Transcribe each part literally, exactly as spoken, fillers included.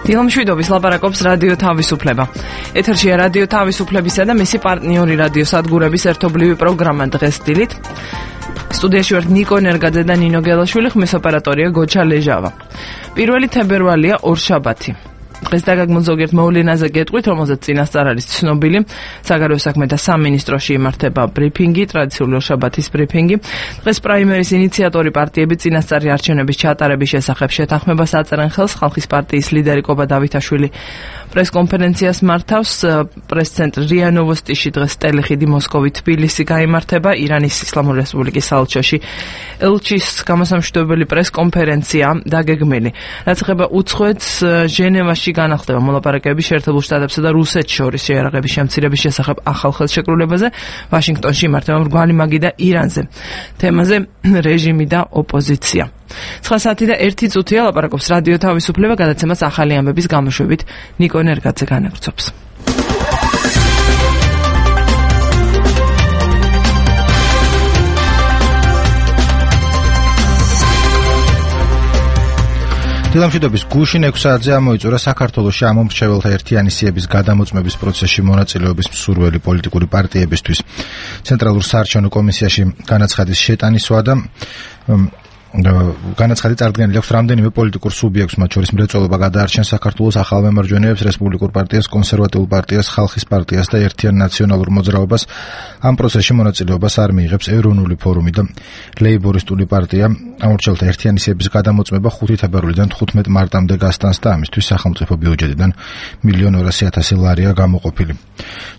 დილამშვიდობის ლაპარაკობს რადიო თავისუფლება. ეთერშია რადიო თავისუფლებისა და მისი პარტნიორი რადიო სადგურების ერთობლივი პროგრამა დღეს დილით. სტუდიაში ვართ ნიკო ნერგაძე და ნინო გელაშვილი, ხმის ოპერატორია გოჩა ლეჟავა. პირველი თებერვალია ორშაბათი. დღეს დაგაგმოთ ზოგიერთ მოვლენაზე გეტყვით, რომელზეც წინასწარ არის ცნობილი. საგარეო საქმეთა სამინისტროში იმართება ბრიფინგი, ტრადიციული ორშაბათის ბრიფინგი. დღეს პრაიმერის ინიციატორი პარტიები წინასწარი არჩევნების ჩატარების შესახებ შეთანხმებას აწერენ ხელს. ხალხის პარტიის ლიდერი კობა დავითაშვილი პრესკონფერენციას მართავს. პრესცენტრ რია ნოვოსტიში დღეს ტელეხიდი მოსკოვი თბილისი გაიმართება. ირანის ისლამური რესპუბლიკის საელჩოში ელჩის გამოსამშვიდობელი პრესკონფერენცია დაგეგმილი. რაც ეხება უცხოეთს, ჟენევაში განახლდება მოლაპარაკებები შეერთებულ შტატებსა და რუსეთს შორის შეიარაღების შემცირების შესახებ ახალ ხელშეკრულებაზე. ვაშინგტონში იმართება მრგვალი მაგი და ირანზე. თემაზე რეჟიმი და ოპოზიცია. ცხრა საათი და ერთი წუთია ლაპარაკობს რადიო თავისუფლება, გადაცემას ახალი ამბების გამოშვებით ნიკო ნერგაძე განაგრძობს. დილამშვიდობის გუშინ ექვსი საათზე ამოიწურა საქართველოში ამომრჩეველთა ერთიანი სიების გადამოწმების პროცესში მონაწილეობის მსურველი პოლიტიკური პარტიებისთვის. ცენტრალურ საარჩევნო კომისიაში განაცხადის შეტანისვა და განაცხადი წარდგენილი აქვს რამდენიმე პოლიტიკურ სუბიექტს, მათ შორის მრეწველობა გადაარჩენს საქართველოს ახალ მემარჯვენეებს, რესპუბლიკურ პარტიას, კონსერვატიულ პარტიას, ხალხის პარტიას და ერთიან ნაციონალურ მოძრაობას. ამ პროცესში მონაწილეობას არ მიიღებს ეროვნული ფორუმი და ლეიბორისტული პარტია. ამორჩეულთა ერთიანი სიების გადამოწმება ხუთი თებერვლიდან თხუთმეტ მარტამდე გასტანს და ამისთვის სახელმწიფო ბიუჯეტიდან მილიონი ორასი ათასი ლარია გამოყოფილი.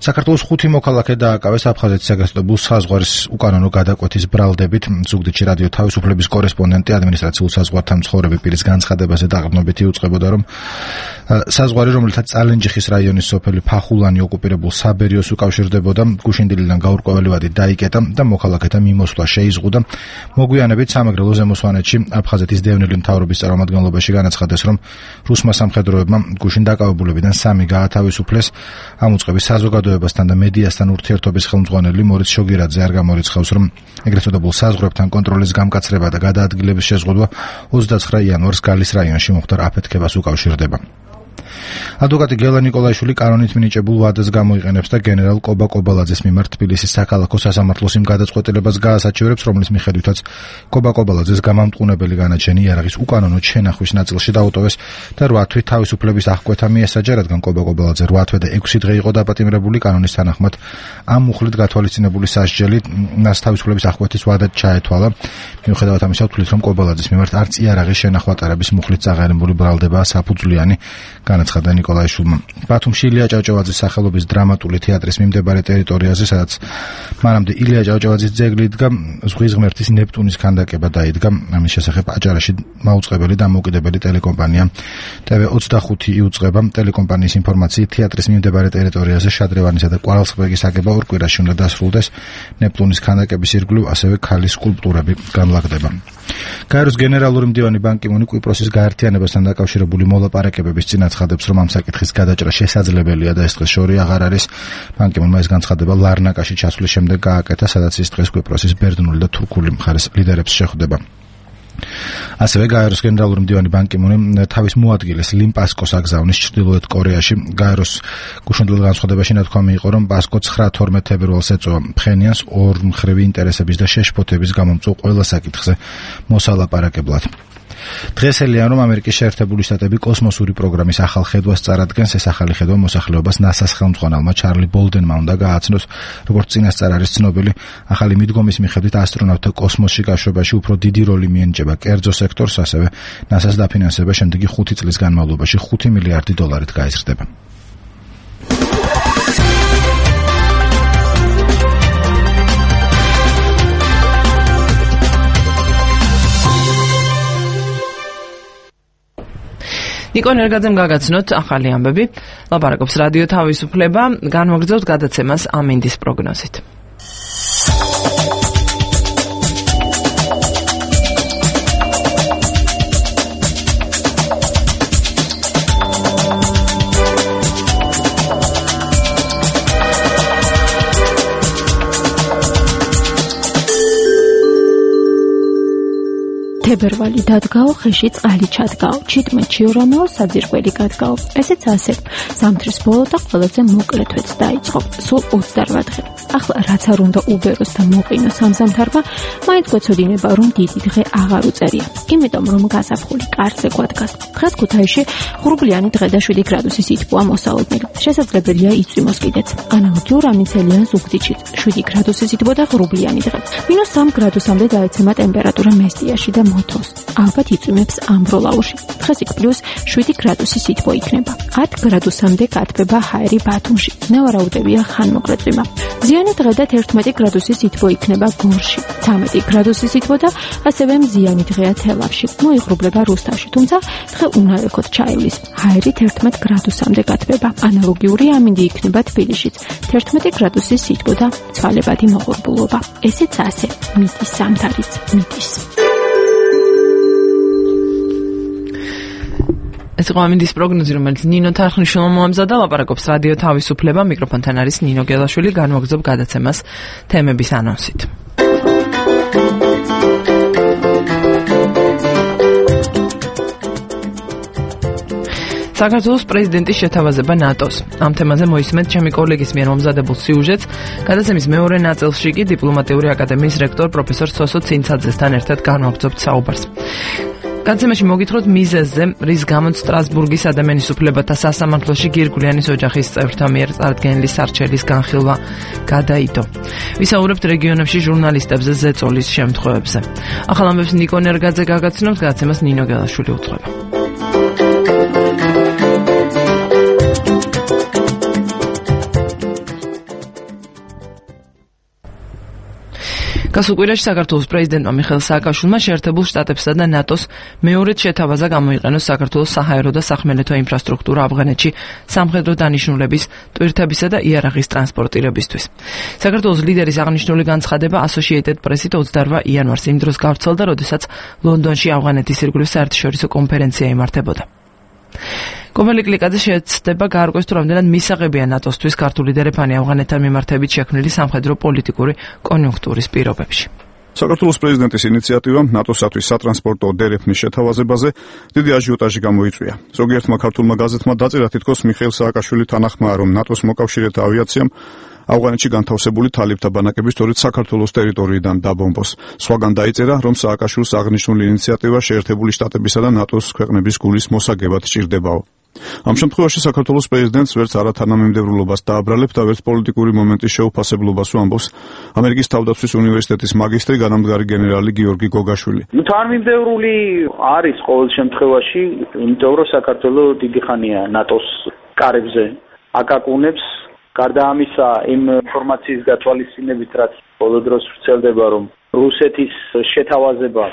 საქართველოს ხუთი მოქალაქე დააკავეს აფხაზეთის საგასტობულ საზღვარის უკანონო გადაკვეთის ბრალდებით. ზუგდიდში რადიო თავისუფლების კორესპონდენტი ადმინისტრაციულ საზღვართან მცხოვრები პირის განცხადებაზე დაყრდნობით იუწყებოდა, რომ საზღვარი, რომელთაც წალენჯიხის რაიონის სოფელი ფახულანი ოკუპირებულ საბერიოს უკავშირდებოდა, გუშინდილიდან გაურკვეველი ვადი დაიკეტა და მოქალაქეთა მიმოსვლა შეიზღუდა. მოგვიანებით სამეგრელო ზემოსვანეთში აფხაზეთის დევნილი მთავრობის წარმომადგენლობაში განაცხადეს, რომ რუსმა სამხედროებმა გუშინ დაკავებულებიდან სამი გაათავისუფლეს. ამ უწყების საზოგადოებასთან და მედიასთან ურთიერთობის ხელმძღვანელი მორიც შოგირაძე არ გამორიცხავს, რომ ეგრეთ წოდებულ საზღვრებთან კონტროლის გამკაცრება და გადაადგილების შეზღუდვა ოცდაცხრა იანვარს გალის რაიონში მოხდარ აფეთქებას უკავშირდება. ადვოკატი გელა ნიკოლაიშვილი კანონით მინიჭებულ ვადას გამოიყენებს და გენერალ კობა კობალაძეს მიმართ თბილისის საქალაქო სასამართლოს იმ გადაწყვეტილებას გაასაჩივრებს, რომლის მიხედვითაც კობა კობალაძეს გამამტყუნებელი განაჩენი იარაღის უკანონო შენახვის ნაწილში დაუტოვეს და რვა თვით თავისუფლების აღკვეთა მიესაჯა, რადგან კობა კობალაძე რვა თვე და ექვსი დღე იყო დაპატიმრებული. კანონის თანახმად ამ მუხლით გათვალისწინებული სასჯელით მას თავისუფლების აღკვეთის ვადად ჩაეთვალა. მიუხედავად ამისა, თვლით, რომ კობალაძის მიმართ არც იარაღის შენახვა ტარების მუხლით წაღერებული ბრალდებაა საფუძვლიანი, განაცხადა ნიკოლაიშვილმა. ბათუმში ილია ჭავჭავაძის სახელობის დრამატული თეატრის მიმდებარე ტერიტორიაზე, სადაც მანამდე ილია ჭავჭავაძის ძეგლი იდგა, ზღვის ღმერთის ნეპტუნის ქანდაკება დაიდგა. ამის შესახებ აჭარაში მაუწყებელი და დამოუკიდებელი ტელეკომპანია ტე ვე ოცდახუთი იუწყება. ტელეკომპანიის ინფორმაციით, თეატრის მიმდებარე ტერიტორიაზე შადრევანისა და კვარალსღბეგის აგება ორ კვირაში უნდა დასრულდეს. ნეპტუნის ქანდაკების ირგვლივ ასევე ქალის სკულპტურები განლაგდება. გაეროს გენერალური მდივანი ბან კი მუნი კვიპროსის გაერთიანებასთან დაკავშირებული მოლაპარაკებების წინ აცხადებს, რომ ამ საკითხის გადაჭრა შესაძლებელია და ეს დღეს შორი აღარ არის. ბან კი მუნმა ეს განცხადება ლარნაკაში ჩასვლის შემდეგ გააკეთა, სადაც ის დღეს კვიპროსის ბერძნული და თურქული მხარის ლიდერებს შეხვდება. ასევე გაეროს გენერალური მდივანი ბან კი მუნი თავის მოადგილეს ლიმ პასკოს აგზავნის ჩრდილოეთ კორეაში. გაეროს გუშინდელ განცხადებაში ნათქვამი იყო, რომ პასკო ცხრა თორმეტ თებერვალს ეწევა ფხენიანს ორმხრივი ინტერესების და შეშფოთების გამომწვევ ყველა საკითხზე მოსალაპარაკებლად. დღესელია, რომ ამერიკის შეერთებული შტატები კოსმოსური პროგრამის ახალ ხედვას წარადგენს. ეს ახალი ხედვა მოსახლეობას ნასას ხელმძღვანელმა ჩარლი ბოლდენმა უნდა გააცნოს. როგორც წინასწარ არის ცნობილი, ახალი მიდგომის მიხედვით ასტრონავტთა კოსმოსში გაშვებაში უფრო დიდი როლი მიენიჭება კერძო სექტორს, ასევე ნასას დაფინანსება შემდეგი ხუთი წლის განმავლობაში ხუთი მილიარდი დოლარით გაიზრდება. ნიკო ნერგაძემ გაგაცნოთ ახალი ამბები. ლაპარაკობს რადიო თავისუფლება, განვაგრძელოთ გადაცემას ამინდის პროგნოზით. თებერვალი დადგაო, ხეში წყალი ჩადგაო, ჩიტმეთში ორამეო საძირკველი გადგაო. ესეც ასე. ზამთრის ბოლო და ყველაზე მოკლე თვეც დაიწყო. სულ ოცდაოთხ დღე. ახლა რაც არ უნდა უბეროს და მოყინოს ამ ზამთარმა, მაინც გვეცოდინება, რომ დიდი დღე აღარ უწერია. იმიტომ რომ გაზაფხული კარზე გვადგას. დღეს ქუთაისში ღრუბლიანი დღე და შვიდი გრადუსი სითბოა მოსალოდნელი. შესაძლებელია იწვიმოს კიდეც. ანალოგიურ ამინცელიან ზუგდიდშიც შვიდი გრადუსი სითბო და ღრუბლიანი დღე. მინუს სამ გრადუსამდე დაეცემა ტემპერატურა მესტიაში და მოთოს. ალბათ იწვიმებს ამბროლაურში. დღეს იქ პლუს შვიდი გრადუსი სითბო იქნება. ათ გრადუსამდე გათბება ჰაერი ბათუმში. ნავარაუდებია ხანმოკლე. ზიანი დღე და თერთმეტი გრადუსი სითბო იქნება გორში. ცამეტი გრადუსი სითბო და ასევე მზიანი დღეა თელავში. მოიღრუბლება რუსთავში, თუმცა დღე უნალექოდ ჩაივლის. ჰაერი თერთმეტ გრადუსამდე გათბება. ანალოგიური ამინდი იქნება თბილისშიც. თერთმეტი გრადუსი სითბო და ცვალებადი მოღრუბლობა. ესეც ასე. მიტის ზამთარიც მიტის. ეს იყო ამინდის პროგნოზი, რომელიც ნინო თარხნიშვილმა მოამზადა. ლაპარაკობს რადიო თავისუფლება. მიკროფონთან არის ნინო გელაშვილი. განვაგრძობ გადაცემას თემების ანონსით. საქართველოს პრეზიდენტის შეთავაზება ნატოს. ამ თემაზე მოისმენთ ჩემი კოლეგის მიერ მომზადებულ სიუჟეტს. გადაცემის მეორე ნაწილში კი დიპლომატიური აკადემიის რექტორ პროფესორ სოსო ცინცაძესთან ერთად განვაგრძობთ საუბარს. გადაცემაში მოგითხროთ მიზეზზე, რის გამოც სტრასბურგის ადამიანის უფლებათა სასამართლოში გირგვლიანის ოჯახის წევრთა მიერ წარდგენილი სარჩელის განხილვა გადაიდო. ვისაუბრებთ რეგიონებში ჟურნალისტებზე ზეწოლის შემთხვევებზე. ახალ ამბებს ნიკო ნერგაძე გაგაცნობს, გადაცემას ნინო გელაშვილი უძღვება. გასულ კვირაში საქართველოს პრეზიდენტმა მიხეილ სააკაშვილმა შეერთებულ შტატებსა და ნატოს მეორედ შეთავაზა გამოიყენოს საქართველოს საჰაერო და სახმელეთო ინფრასტრუქტურა ავღანეთში სამხედრო დანიშნულების, ტვირთებისა და იარაღის ტრანსპორტირებისთვის. საქართველოს ლიდერის აღნიშნული განცხადება Associated Press-ით ოცდაოთხ იანვარს იმ დროს გავრცელდა, როდესაც ლონდონში ავღანეთის ირგვლივ საერთაშორისო კონფერენცია იმართებოდა. კომელი კლიკაძე შეეცდება გაარკვევს, თუ რამდენად მისაღებია ნატოსთვის ქართული დერეფანი ავღანეთთან მიმართებით შექმნილი სამხედრო პოლიტიკური კონიუნქტურის პირობებში. საქართველოს პრეზიდენტის ინიციატივამ ნატოსათვის სატრანსპორტო დერეფნის შეთავაზებაზე დიდი აჟიოტაჟი გამოიწვია. ზოგიერთმა ქართულმა გაზეთმა დაწერა, თითქოს მიხეილ სააკაშვილი თანახმაა, რომ ნატოს მოკავშირეთა ავიაციამ ავღანეთში განთავსებული თალიბთა ბანაკები სწორედ საქართველოს ტერიტორიიდან დაბომბოს. სხვაგან დაიწერა, რომ სააკაშვილს აღნიშნული ინიციატივა შეერთებული შტატებისა და ნატოს ქვეყნების გულის მოსაგებად სჭირდებაო. ამ შემთხვევაში საქართველოს პრეზიდენტს ვერც არათანამიმდევრულობას დააბრალებს და ვერც პოლიტიკური მომენტის შეუფასებლობას უამბობს ამერიკის თავდაცვის უნივერსიტეტის მაგისტრი განამდგარი გენერალი გიორგი გოგაშვილი. თანამიმდევრული არის ყოველ შემთხვევაში, იმიტომ რომ საქართველო დიდი ხანია ნატოს კარებზე აკაკუნებს. გარდა ამისა, იმ ინფორმაციის გათვალისწინებით, რაც ბოლო დროს ვრცელდება, რომ რუსეთის შეთავაზება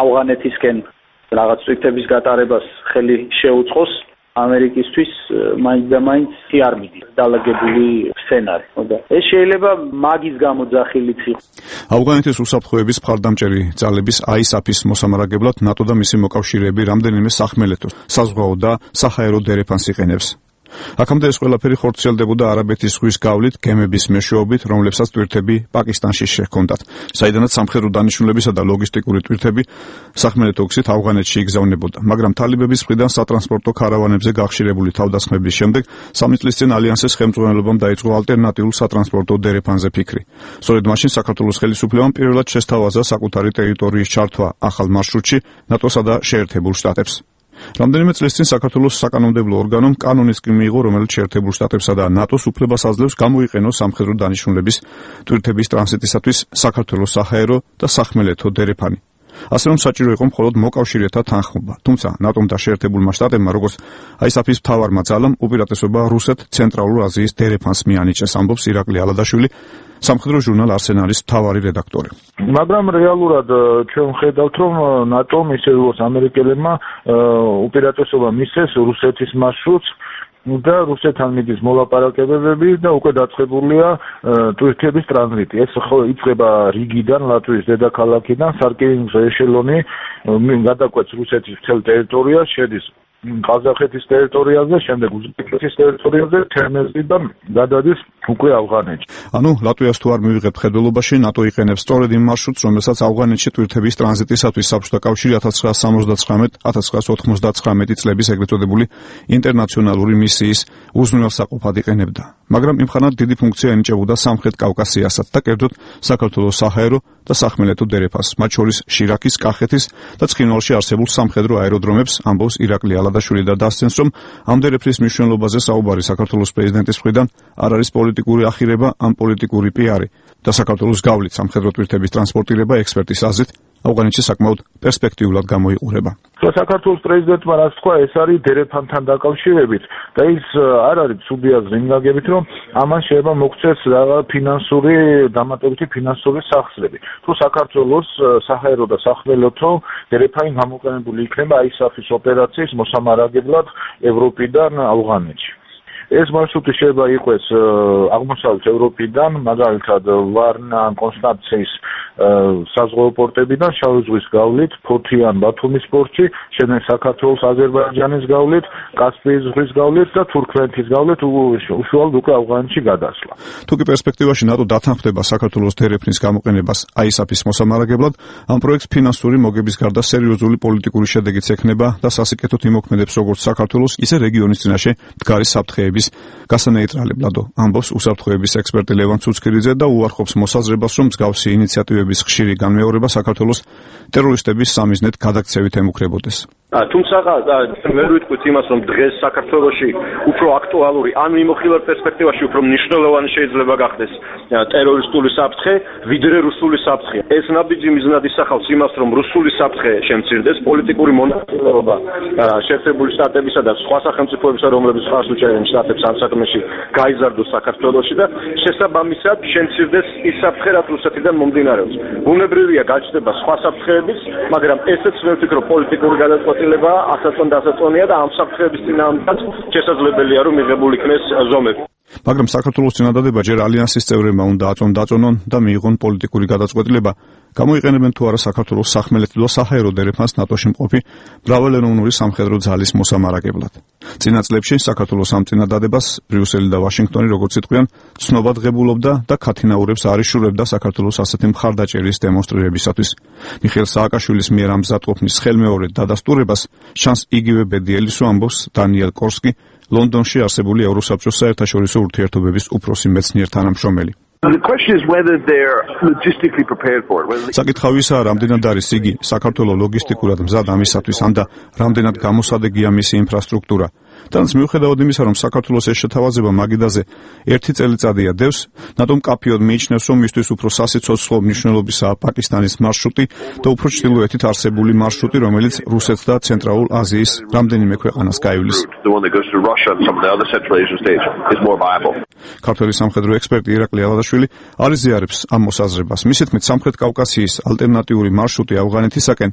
ავღანეთისკენ რაღაც ტვირთების გატარებას ხელი შეუწყოს, ამერიკისთვის მაინც და მაინც არ მიდის დალაგებული სცენარი. ეს შეიძლება მაგის გამო ძახილიც იყოს. ავღანეთის უსაფრთხოების მხარდამჭერი ძალების აისაფის მოსამარაგებლად ნატო და მისი მოკავშირეები რამდენიმე სახმელეთო, საზღვაო და საჰაერო დერეფანს იყენებს. აქამდე ეს ყველაფერი ხორციელდებოდა არაბეთის ზღვის გავლით გემების მეშვეობით, რომლებსაც ტვირთები პაკისტანში შეჰქონდათ, საიდანაც სამხედრო დანიშნულებისა და ლოგისტიკური ტვირთები სახმელეთო გზით ავღანეთში იგზავნებოდა. მაგრამ თალიბების მხრიდან სატრანსპორტო ქარავანებზე გახშირებული თავდასხმების შემდეგ სამი წლის წინ ალიანსის ხელმძღვანელობამ დაიწყო ალტერნატიულ სატრანსპორტო დერეფანზე ფიქრი. სწორედ მაშინ საქართველოს ხელისუფლებამ პირველად შესთავაზა საკუთარი ტერიტორიის ჩართვა ახალ მარშრუტში ნატოსა და შეერთებულ შტატებს. რამდენიმე წლის წინ საქართველოს საკანონმდებლო ორგანომ კანონის კი მიიღო, რომელიც შეერთებულ შტატებსა და ნატოს უფლებას აძლევს გამოიყენოს სამხედრო დანიშნულების ტვირთების ტრანზიტისათვის საქართველოს საჰაერო და სახმელეთო დერეფანი. ასე რომ საჭირო იყო მხოლოდ მოკავშირეთა თანხმობა. თუმცა ნატომ და შეერთებულმა შტატებმა, როგორც აისაფის მთავარმა ძალამ, უპირატესობა რუსეთ ცენტრალურ აზიის დერეფანს მიანიჭეს, ამბობს ირაკლი ალადაშვილი, სამხედრო ჟურნალ არსენალის მთავარი რედაქტორი. მაგრამ რეალურად ჩვენ ხედავთ, რომ ნატომ ისე როგორც ამერიკელებმა უპირატესობა მისცეს რუსეთის მარშრუტს და რუსეთთან მიდის მოლაპარაკებები და უკვე დაწყებულია ტვირთების ტრანზიტი. ეს ხო იწყება რიგიდან, ლატვიის დედაქალაქიდან, სარკინიგზო ეშელონი გადაკვეთს რუსეთის მთელ ტერიტორიას, შედის ყაზახეთის ტერიტორიაზე, შემდეგ უზბეკეთის ტერიტორიაზე, თერმეზიდან გადადის უკვე ავღანეთში. ანუ ლატვიას თუ არ მივიღებთ ხედველობაში, ნატო იყენებს სწორედ იმ მარშრუტს, რომელსაც ავღანეთში ტვირთების ტრანზიტისათვის საბჭოთა კავშირი ათას ცხრაას სამოცდათხრამეტ ათას ცხრაას ოთხმოცდათხრამეტი წლების ეგრეთ წოდებული ინტერნაციონალური მისიის უზრუნველსაყოფად იყენებდა. მაგრამ იმხანად დიდი ფუნქცია ენიჭებოდა სამხრეთ კავკასიასაც და კერძოდ საქართველოს საჰაერო და სახმელეთო დერეფანს, მათ შორის შირაქის, კახეთის და ცხინვალში არსებულ სამხედრო აეროდრომებს, ამბობს ირაკლი ალადაშვილი და დასცენს, რომ ამ დერეფნის მნიშვნელობაზე საუბარი საქართველოს პრეზიდენტის მხრიდან არ არის პოლიტიკური ახირება, ამ პოლიტიკური პიარი და საქართველოს გავლით სამხედრო ტვირთების ტრანსპორტირება ექსპერტის აზრით ავღანეთში საკმაოდ პერსპექტიულად გამოიყურება. საქართველოს პრეზიდენტმა რაც თქვა, ეს არის დერეფანთან დაკავშირებით და ის არ არის ცუდი აზრი იმ გაგებით, რომ ამან შეიძლება მოგვცეს ფინანსური დამატებითი ფინანსური სახსრები. თუ საქართველოს საჰაერო და სახმელეთო დერეფანი გამოყენებული იქნება აისაფის ოპერაციის მოსამარაგებლად ევროპიდან ავღანეთში. ეს მარშრუტი შეიძლება იყოს აღმოსავლეთ ევროპიდან, მაგალითად ვარნა, კონსტანციის საზღვაო პორტებიდან, შავი ზღვის გავლით, ფოთიან, ბათუმის პორტში, შემდეგ საქართველოს აზერბაიჯანის გავლით, კასპიის ზღვის გავლით და თურქმენეთის გავლით უშუალოდ უკვე ავღანეთში გადასვლა. თუკი პერსპექტივაში ნატო დათანხმდება საქართველოს დერეფნის გამოყენებას აისაფის მოსამარაგებლად, ამ პროექტს ფინანსური მოგების გარდა სერიოზული პოლიტიკური შედეგიც ექნება და სასიკეთოდ იმოქმედებს როგორც საქართველოს, ისე რეგიონის წინაშე მდგარი საფრთხეების გასანეიტრალებლადო, ამბობს უსაფრთხოების ექსპერტი ლევან ცუცქირიძე და უარყოფს მოსაზრებას, რომ მსგავსი ინიციატივების ხშირი განმეორება საქართველოს ტერორისტების სამიზნედ გადაქცევით ემუქრებოდეს. თუმცა ვერ ვიტყვით იმას, რომ დღეს საქართველოში უფრო აქტუალური ან მიმოხილვარ პერსპექტივაში უფრო მნიშვნელოვანი შეიძლება გახდეს ტერორისტული საფრთხე, ვიდრე რუსული საფრთხე. ეს ნაბიჯი მიზნად ისახავს იმას, რომ რუსული საფრთხე შემცირდეს, პოლიტიკური მონაწილეობა შეერთებული შტატებისა და სხვა სახელმწიფოებისა, რომლებიც ხარს უჭერენ შტატებს ამ საქმეში, გაიზარდოს საქართველოში და შესაბამისად შემცირდეს ის საფრთხე, რაც რუსეთიდან მომდინარეობს. ბუნებრივია გაჩნდება სხვა საფრთხეების, მაგრამ ესეც ვერ ვფიქრობ პოლიტიკური გადაწყვეტილებაა, ასაწონ დასაწონია და ამ საფრთხეების წინააღმდეგ შესაძლებელია რომ მიღებულ იქნეს ზომები. მაგრამ საქართველოს წინადადება ჯერ ალიანსის წევრებმა უნდა აწონ დაწონონ და მიიღონ პოლიტიკური გადაწყვეტილება, გამოიყენებენ თუ არა საქართველოს სახმელეთო და საჰაერო დერეფანს ნატოში მყოფი მრავალეროვნული სამხედრო ძალის მოსამარაგებლად. წინა წლებში საქართველოს ამ წინადადებას ბრიუსელი და ვაშინგტონი, როგორც იტყვიან, ცნობად ღებულობდა და ქათინაურებს არ იშურებდა საქართველოს ასეთი მხარდაჭერის დემონსტრირებისათვის. მიხეილ სააკაშვილის მიერ ამ მზადყოფნის ხელმეორედ დადასტურებას შანს იგივე ბედი ელისო, ამბობს დანიელ კორსკი, ლონდონში არსებული ევროსაბჭოს საერთაშორისო ურთიერთობების უფროსი მეცნიერ თანამშრომელი. საკითხავისაა, რამდენად არის იგი საქართველოს ლოგისტიკურად მზად ამისათვის, ან და რამდენად გამოსადეგია მისი ინფრასტრუქტურა. თანაც მიუხედავად იმისა, რომ საქართველოს ეს შეთავაზება მაგიდაზე ერთი წელიწადია დევს, ნატომ კაფიოდ მიიჩნევს, რომ მისთვის უფრო სასიცოცხლო მნიშვნელობისაა პაკისტანის მარშრუტი და უფრო ჩრდილოეთით არსებული მარშრუტი, რომელიც რუსეთს და ცენტრალურ აზიის რამდენიმე ქვეყანას გაივლის. ქართველი სამხედრო ექსპერტი ირაკლი ალადაშვილი არ იზიარებს ამ მოსაზრებას. მისი თქმით, სამხრეთ კავკასიის ალტერნატიული მარშრუტი ავღანეთისაკენ,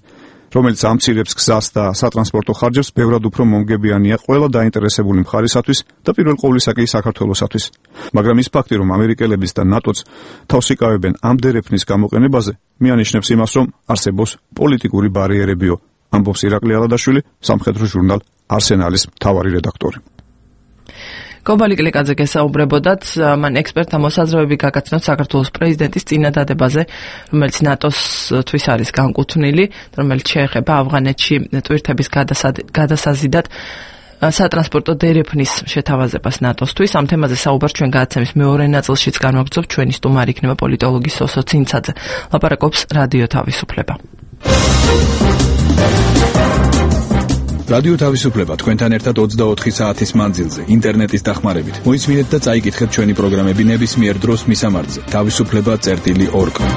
რომელიც ამცირებს გზას და სატრანსპორტო ხარჯებს, ბევრად უფრო მომგებიანია ყველა დაინტერესებული მხარისათვის და პირველ ყოვლისა კი საქართველოსათვის. მაგრამ ის ფაქტი, რომ ამერიკელებიც და ნატოც თავს იკავებენ ამ დერეფნის გამოყენებაზე, მიანიშნებს იმას, რომ არსებობს პოლიტიკური ბარიერებიო, ამბობს ირაკლი ალადაშვილი, სამხედრო ჟურნალ არსენალის მთავარი რედაქტორი. გობალი კლიკაძე გესაუბრებოდათ, მან ექსპერტთა მოსაზრებები გაგაცნოთ საქართველოს პრეზიდენტის წინადადებაზე, რომელიც ნატოსთვის არის განკუთვნილი, რომელიც შეეხება ავღანეთში ტვირთების გადასაზიდად სატრანსპორტო დერეფნის შეთავაზებას ნატოსთვის. ამ თემაზე საუბარს ჩვენ გადაცემის მეორე ნაწილშიც განვაგრძობთ. ჩვენი სტუმარი იქნება პოლიტოლოგი სოსო ცინცაძე. ლაპარაკობს რადიო თავისუფლება. რადიო თავისუფლება თქვენთან ერთად ოცდაოთხი საათის მანძილზე ინტერნეტის დახმარებით. მოისმინეთ და წაიკითხეთ ჩვენი პროგრამები ნებისმიერ დროს მისამართზე თავისუფლება წერტილი ორ კომ.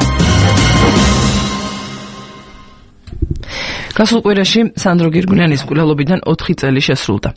გასულ კვირაში სანდრო გირგუნიანის მკვლელობიდან ოთხი წელი შესრულდა.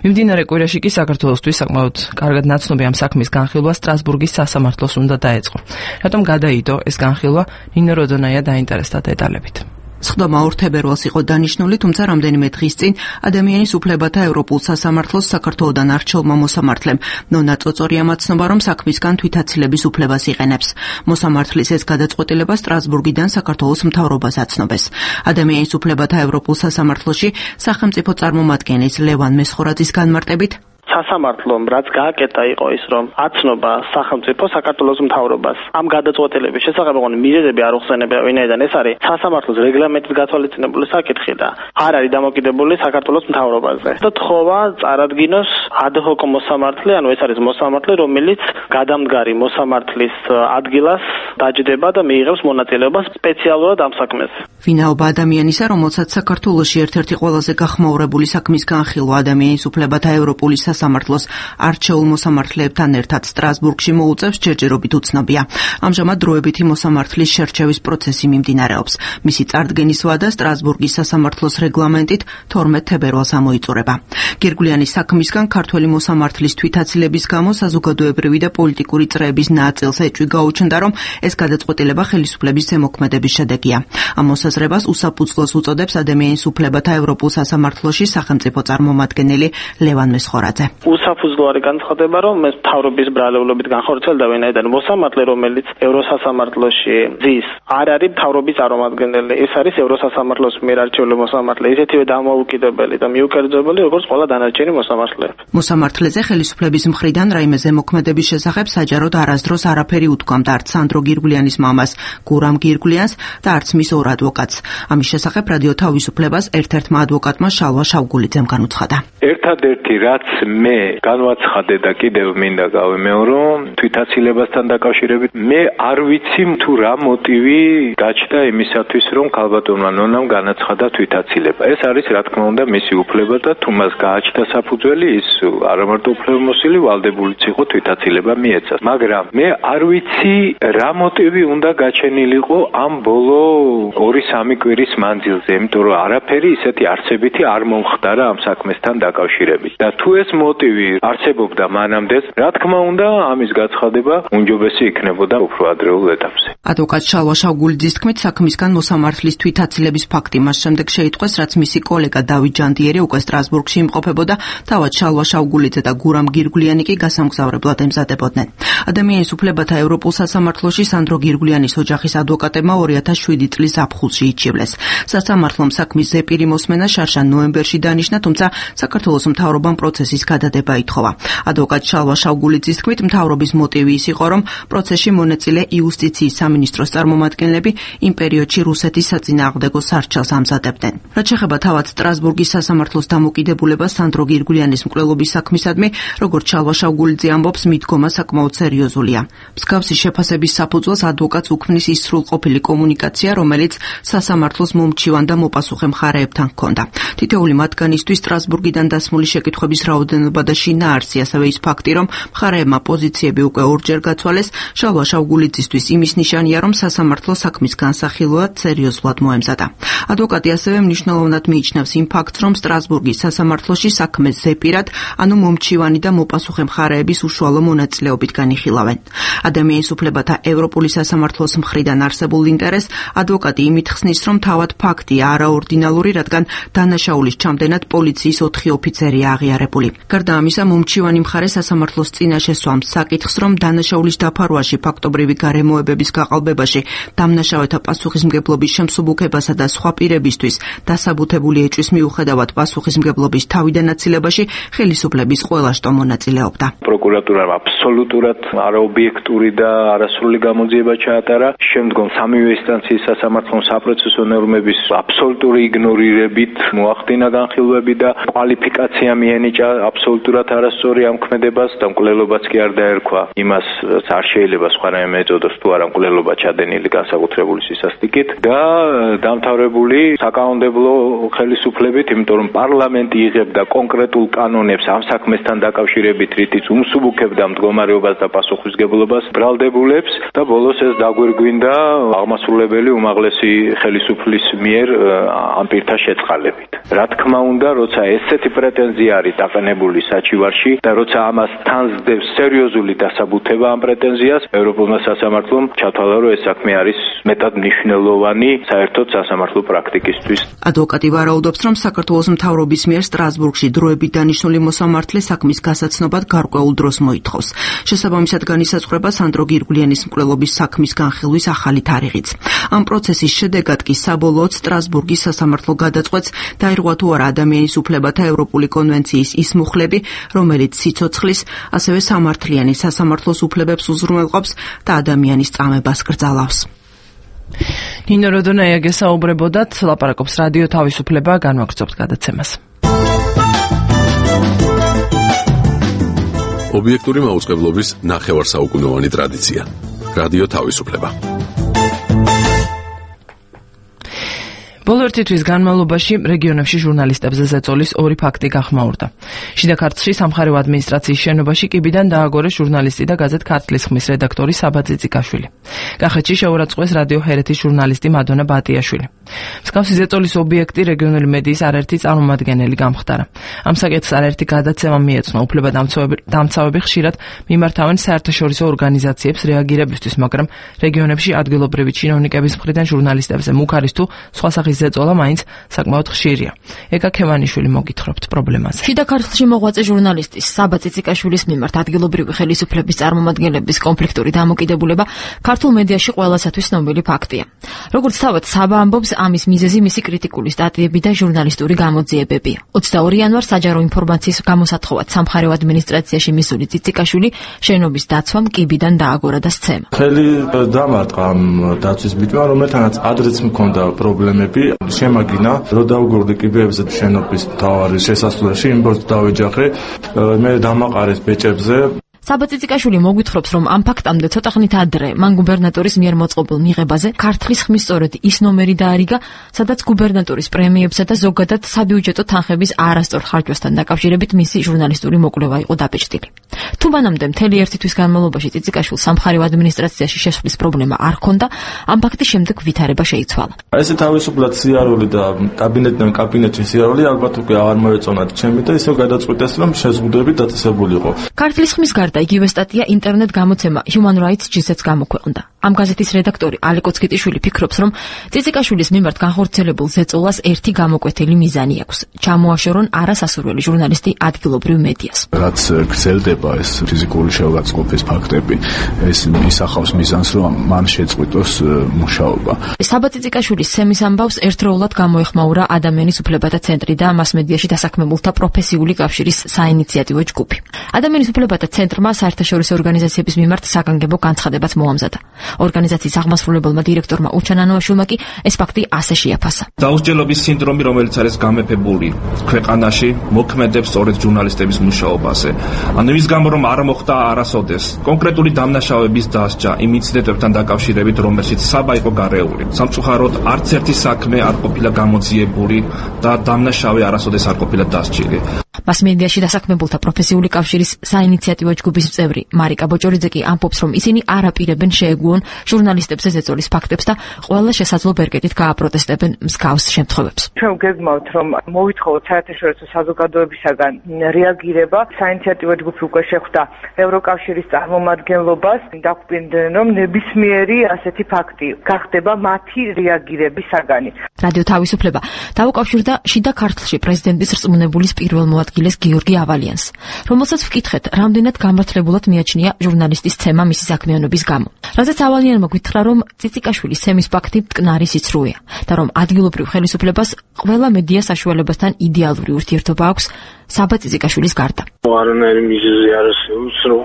მიმდინარე კვირაში კი საქართველოსთვის საკმაოდ კარგად ნაცნობი ამ საქმის განხილვა სტრასბურგის სასამართლოს უნდა დაეწყო. რატომ გადაიდო ეს განხილვა? ნინო როდონაია დაინტერესდა დეტალებით. სხდომა ორ თებერვალს იყო დანიშნული, თუმცა რამდენიმე დღის წინ ადამიანის უფლებათა ევროპულ სასამართლოს საქართველოდან არჩეულმა მოსამართლემ ნონა წოწორია მაცნობა, რომ საქმისგან თვითაცილების უფლებას იყენებს. მოსამართლის ეს გადაწყვეტილება სტრასბურგიდან საქართველოს მთავრობას აცნობეს. ადამიანის უფლებათა ევროპულ სასამართლოში სახელმწიფო წარმომადგენლის ლევან მესხორაძის განმარტებით სასამართლომ რაც გააკეთა იყო ის, რომ აცნობა სახელმწიფო საქართველოს მთავრობას ამ გადაწყვეტილების შესახებ ოღონდ მიზეზები არ უხსენებია, ვინაიდან ეს არის სასამართლოს რეგლამენტით გათვალისწინებული საკითხი და არ არის დამოკიდებული საქართველოს მთავრობაზე. და თხოვა წარადგინოს ადჰოკ მოსამართლე, ანუ ეს არის მოსამართლე, რომელიც გადამდგარი მოსამართლის ადგილას დაჯდება და მიიღებს მონაწილეობას სპეციალურად ამ საქმეს. ვინაობა ადამიანისა, რომელსაც საქართველოში ერთ-ერთი ყველაზე გახმაურებული საქმის განხილვა ადამიანის უფლებათა ევროპული სასამართლოს არჩეულ მოსამართლეებთან ერთად სტრასბურგში მოუწევს, ჯერჯერობით უცნობია. ამჟამად დროებითი მოსამართლის შერჩევის პროცესი მიმდინარეობს. მისი წარდგენის ვადა სტრასბურგის სასამართლოს რეგლამენტით თორმეტ თებერვალს ამოიწურება. გირგვლიანის საქმისგან ქართველი მოსამართლის თვითაცილების გამო საზოგადოებრივი და პოლიტიკური წრეების ნაწილს ეჭვი გაუჩნდა, რომ ეს გადაწყვეტილება ხელისუფლების ზემოქმედების შედეგია. ამ მოსაზრებას უსაფუძვლოს უწოდებს ადამიანის უფლებათა ევროპულ სასამართლოში სახელმწიფო წარმომადგენელი ლევან მესხორაძე. უსაფუძვლო არის განცხადება, რომ ეს მთავრობის ბრალეულობით განხორციელდა, ვინაიდან მოსამართლე, რომელიც ევროსასამართლოში ზის, არ არის მთავრობის წარმომადგენელი. ეს არის ევროსასამართლოს მიერ არჩეული მოსამართლე, ისეთივე დამოუკიდებელი და მიუკერძოებელი, როგორც ყველა დანარჩენი მოსამართლეები. მოსამართლეზე ხელისუფლების მხრიდან რაიმე ზემოქმედების შესახებ საჯაროდ არასდროს არაფერი უთქვამდა არც სანდრო გირგვლიანის მამას, გურამ გირგვლიანს და არც მის ორ ადვოკატს. ამის შესახებ რადიო თავისუფლებას ერთ-ერთმა ადვოკატმა შალვა შავგულიძემ განუცხადა. ერთადერთი რაც მე განვაცხადე და კიდევ მინდა გავიმეორო თვითაცილებასთან დაკავშირებით, მე არ ვიცი თუ რა მოტივი გაჩნდა იმისათვის, რომ ქალბატონმა ნონამ განაცხადა თვითაცილება. ეს არის რა თქმა უნდა მისი უფლება და თუ მას გააჩნდა საფუძველი, ის არამარტო უფლებამოსილი ვალდებულიც იყო თვითაცილება მიეცას. მაგრამ მე არ ვიცი რა მოტივი უნდა გაჩენილიყო ამ ბოლო ორი სამი კვირის მანძილზე, იმიტომ რომ არაფერი ისეთი არსებითი არ მომხდარა ამ საქმესთან დაკავშირებით. და თუ ეს მოტივი არსებობდა მანამდე, რა თქმა უნდა, ამის გაცხადება უმჯობესი იქნებოდა უფრო ადრეულ ეტაპზე. ადვოკატ შალვა შავგულიძის თქმით, საქმისგან მოსამართლის თვითაცილების ფაქტი მას შემდეგ შეიტყვეს, რაც მისი კოლეგა დავით ჯანდიერი უკვე სტრასბურგში იმყოფებოდა, თავად შალვა შავგულიძე და გურამ გირგვლიანი კი გასამგზავრებლად ემზადებოდნენ. ადამიანის უფლებათა ევროპულ სასამართლოში სანდრო გირგვლიანის ოჯახის ადვოკატებმა ორი ათას შვიდი წლის ზაფხულში იჩივლეს. სასამართლომ საქმის ზეპირი მოსმენა შარშან ნოემბერში დანიშნა, თუმცა საქართველოს მთავრობამ პროცესის გადადება ითხოვა. ადვოკატ შალვა შავგულიძის თქმით, მთავრობის მოტივი ის იყო, რომ პროცესში მონაწილე იუსტიციის სამინისტროს წარმომადგენლები იმ პერიოდში რუსეთის საწინააღმდეგო სარჩელს ამზადებდნენ. რაც შეეხება თავად სტრასბურგის სასამართლოს დამოკიდებულებას სანდრო გირგვლიანის მკვლელობის საქმისადმი, როგორც შალვა შავგულიძე ამბობს, მიდგომა საკმაოდ სერიოზულია. მსგავსი შეფასების საფუძველს ადვოკატს უქმნის ის სრულყოფილი კომუნიკაცია, რომელიც სასამართლოს მომჩივან და მოპასუხე მხარეებთან ჰქონდა. თითოეული მათგანისთვის სტრასბურგიდან დასმული შეკითხვების რაოდენობა და შინაარსი, ასევე ის ფაქტი, რომ მხარეებმა პოზიციები უკვე ორჯერ გაცვალეს, შალვა შავგულიძისთვის იმის ნიშანია, რომ სასამართლო საქმის განსახილვად სერიოზულად მოემზადა. ადვოკატი ასევე მნიშვნელოვნად მიიჩნევს იმ ფაქტს, რომ სტრასბურგის სასამართლოში საქმეს ზეპირად, ანუ მომჩივანი და მოპასუხე მხარეების უშუალო მონაწილეობით განიხილავენ. ადამიანის უფლებათა ევროპული სასამართლოს მხრიდან არსებულ ინტერესს ადვოკატი იმით ხსნის, რომ თავად ფაქტია არაორდინალური, რადგან დანაშაულის ჩამდენად პოლიციის ოთხი ოფიცერია აღიარებული. გარდა ამისა, მომჩივანი მხარე სასამართლოს წინაშე სვამს საკითხს, რომ დანაშაულის დაფარვაში, ფაქტობრივი გარემოებების გაყალბებაში, დამნაშავეთა პასუხისმგებლობის შემსუბუქებასა და სხვა პირებისთვის დასაბუთებული ეჭვის მიუხედავად პასუხისმგებლობის თავიდან აცილებაში ხელისუფლების ყველა შტო მონაწილეობდა. პროკურატურამ აბსოლუტურად არაობიექტური და არასრული გამოძიება ჩაატარა. შემდგომ სამივე ინსტანციის სასამართლომ საპროცესო ნორმების აბსოლუტური იგნორირებით მოახდინა განხილვები და კვალიფიკაცია მიენიჭა აბსოლუტურად არასწორი ამ ქმედებას და მკვლელობაც კი არ დაერქვა იმას, არ შეიძლება სხვანაირად ეწოდოს თუ არა მკვლელობა ჩადენილი განსაკუთრებული სისასტიკით და დამთავრებული საკანონმდებლო ხელისუფლებით, იმიტომ რომ პარლამენტი იღებდა კონკრეტულ კანონებს ამ საქმესთან დაკავშირებით, რითიც უმსუბუქებდა მდგომარეობას და პასუხისმგებლობას ბრალდებულებს და ბოლოს ეს დაგვირგვინდა აღმასრულებელი უმაღლესი ხელისუფლის მიერ ამ პირთა შეწყალებით. რა თქმა უნდა, როცა ესეთი პრეტენზია არის დაყენებული საჩივარში და როცა ამას თან სდევს სერიოზული დასაბუთება ამ პრეტენზიას, ევროპულმა სასამართლომ ჩათვალა, რომ ეს საქმე არის მეტად მნიშვნელოვანი საერთოდ სასამართლო პრაქტიკისთვის. ადვოკატი ვარაუდობს, რომ საქართველოს მთავრობის მიერ სტრასბურგში დროებით დანიშნული მოსამართლე საქმის გასაცნობად გარკვეულ დროს მოითხოვს. შესაბამისად განისაზღვრება სანდრო გირგვლიანის მკვლელობის საქმის განხილვის ახალი თარიღიც. ამ პროცესის შედეგად კი საბოლოოდ სტრასბურგის სასამართლო გადაწყვეტს დაირღვა თუ არა ადამიანის უფლებათა ევროპული კონვენციის ის მუხლები, რომელიც სიცოცხლის, ასევე სამართლიანი სასამართლოს უფლებებს უზრუნველყოფს და ადამიანის წამებას კრძალავს. ნინო როდონაია გესაუბრებოდათ, ლაპარაკობს რადიო თავისუფლება, განვაგრძობთ გადაცემას. ობიექტური მაუწყებლობის ნახევარსაუკუნოვანი ტრადიცია. რადიო თავისუფლება. ბოლო ერთი თვის განმავლობაში რეგიონებში ჟურნალისტებზე ზეწოლის ორი ფაქტი გახმაურდა. შიდა ქართლში სამხარეო ადმინისტრაციის შენობაში კიბიდან დააგორეს ჟურნალისტი და გაზეთ ქართლის ხმის რედაქტორი საბა წიწიკაშვილი. კახეთში შეურაცხყვეს რადიო ჰერეთის ჟურნალისტი მადონა ბატიაშვილი. მსგავსი ზეწოლის ობიექტი რეგიონული მედიის არაერთი წარმომადგენელი გამხდარა. ამ საკითხს არაერთი გადაცემა მიეცნო. უფლებადამცავები ხშირად მიმართავენ საერთაშორისო ორგანიზაციებს რეაგირებისთვის, მაგრამ რეგიონებში ადგილობრივი ჩინოვნიკების მხრიდან ჟურნალისტებზე მუქ არის თუ სხვა სახის ზეწოლა მაინც საკმაოდ ხშირია. ეკა ქევანიშვილი მოგითხრობთ პრობლემაზე. შიდა ქართლში მოღვაწე ჟურნალისტის საბა წიწიკაშვილის მიმართ ადგილობრივი ხელისუფლების წარმომადგენლების კონფლიქტური დამოკიდებულება ქართულ მედიაში ყველასათვის ცნობილი ფაქტია. როგორც თავად საბა ამბობს, ამის მიზეზი მისი კრიტიკული სტატიები და ჟურნალისტური გამოძიებებია. ოცდაორი იანვარს საჯარო ინფორმაციის გამოსათხოვად სამხარეო ადმინისტრაციაში მისული წიწიკაშვილი შენობის დაცვამ კიბიდან დააგორა და სცემა. ხელი დამარტყა ამ დაცვის ბიჭმა, რომელთანაც ადრეც მქონდა პრობლემები. შემაგინა, რომ დავგორდი კიბეებზე შენობის მთავარი შესასვლელში, იმბორტს დავეჯახე, მე დამაყარეს ბეჭებზე. საბა წიწიკაშვილი მოგვითხრობს, რომ ამ ფაქტამდე ცოტა ხნით ადრე მან გუბერნატორის მიერ მოწყობილ მიღებაზე ქართლის ხმის სწორედ ის ნომერი დაარიგა, სადაც გუბერნატორის პრემიებსა და ზოგადად საბიუჯეტო თანხების არასწორ ხარჯვასთან დაკავშირებით მისი ჟურნალისტური მოკვლევა იყო დაბეჭდილი. თუ მანამდე მთელი ერთი თვის განმავლობაში წიწიკაშვილს სამხარეო ადმინისტრაციაში შესვლის პრობლემა არ ჰქონდა, ამ ფაქტის შემდეგ ვითარება შეიცვალა. ესე თავისუფლად სიარული და კაბინეტიდან კაბინეტში სიარული ალბათ უკვე აღარ მოეწონათ ჩემი და ისევ გადაწყვიტეს, რომ შეზღუდვები დაწესებულიყო. ქართლის ხმის გარდა იგივე სტატია ინტერნეტ გამოცემა Human Rights ჯი-ს გამოქვეყნდა. ამ გაზეთის რედაქტორი ალეკო ცკიტიშვილი ფიქრობს, რომ წიწიკაშვილის მიმართ განხორციელებულ ზეწოლას ერთი გამოკვეთილი მიზანი აქვს: ჩამოაშორონ არასასურველი ჟურნალისტი ადგილობრივ მედიას. რაც გრძელდება ეს ფიზიკური შევგაწყობის ფაქტები, ეს ისახავს მიზანს, რომ მან შეწყვიტოს მუშაობა. საბა წიწიკაშვილის სემის ამბავს ერთდროულად გამოეხმაურა ადამიანის უფლებათა ცენტრი და მასმედიაში დასაქმებულთა პროფესიული კავშირის საინიციატივო ჯგუფი. ადამიანის უფლებათა ცენტრმა საერთაშორისო ორგანიზაციების მიმართ საგანგებო განცხადებაც მოამზადა. ორგანიზაციის აღმასრულებელმა დირექტორმა უჩან ანოაშვილმა კი ეს ფაქტი ასე შეაფასა. დაუსჯელობის სინდრომი, რომელიც არის გამეფებული ქვეყანაში, მოქმედებს სწორედ ჟურნალისტების მუშაობაზე. ანუ ის გამო, რომ არ მოხდა არასოდეს კონკრეტული დამნაშავების დასჯა იმ ინციდენტებთან დაკავშირებით, რომელშიც საბა იყო გარეული. სამწუხაროდ, არც ერთი საქმე არ ყოფილა გამოძიებული და დამნაშავე არასოდეს არ ყოფილა დასჯილი. მასმედიაში დასაქმებულთა პროფესიული კავშირის საინიციატივო ჯგუფის წევრი მარიკა ბოჭორიძე კი ამბობს, რომ ისინი არ აპირებენ შეეგუონ ჟურნალისტებზე ზეწოლის ფაქტებს და ყველა შესაძლო ბერკეტით გააპროტესტებენ მსგავს შემთხვევებს. ჩვენ გეგმავთ, რომ მოვითხოვოთ საერთაშორისო საზოგადოებისაგან რეაგირება. საინიციატივო ჯგუფი უკვე შეხვდა ევროკავშირის წარმომადგენლობას, დაგვპირდნენ, რომ ნებისმიერი ასეთი ფაქტი გახდება მათი რეაგირების საგანი. რადიო თავისუფლება დაუკავშირდა შიდა ქართლში პრეზიდენტის რწმუნებულის პირველ მოადგილეს გიორგი ავალიანს, რომელსაც ვკითხეთ, რამდენად გამართლებულად მიაჩნია ჟურნალისტის ცემა მისი საქმიანობის გამო. რადგან ავალიანმა გითხრა, რომ წიწიკაშვილის ცემის ფაქტი მტკნარი სიცრუეა და რომ ადგილობრივ ხელისუფლებას ყველა მედია საშუალებასთან იდეალური ურთიერთობა აქვს საბა წიწიკაშვილის გარდა. არანაირი მიზეზი არ არსებობს, რომ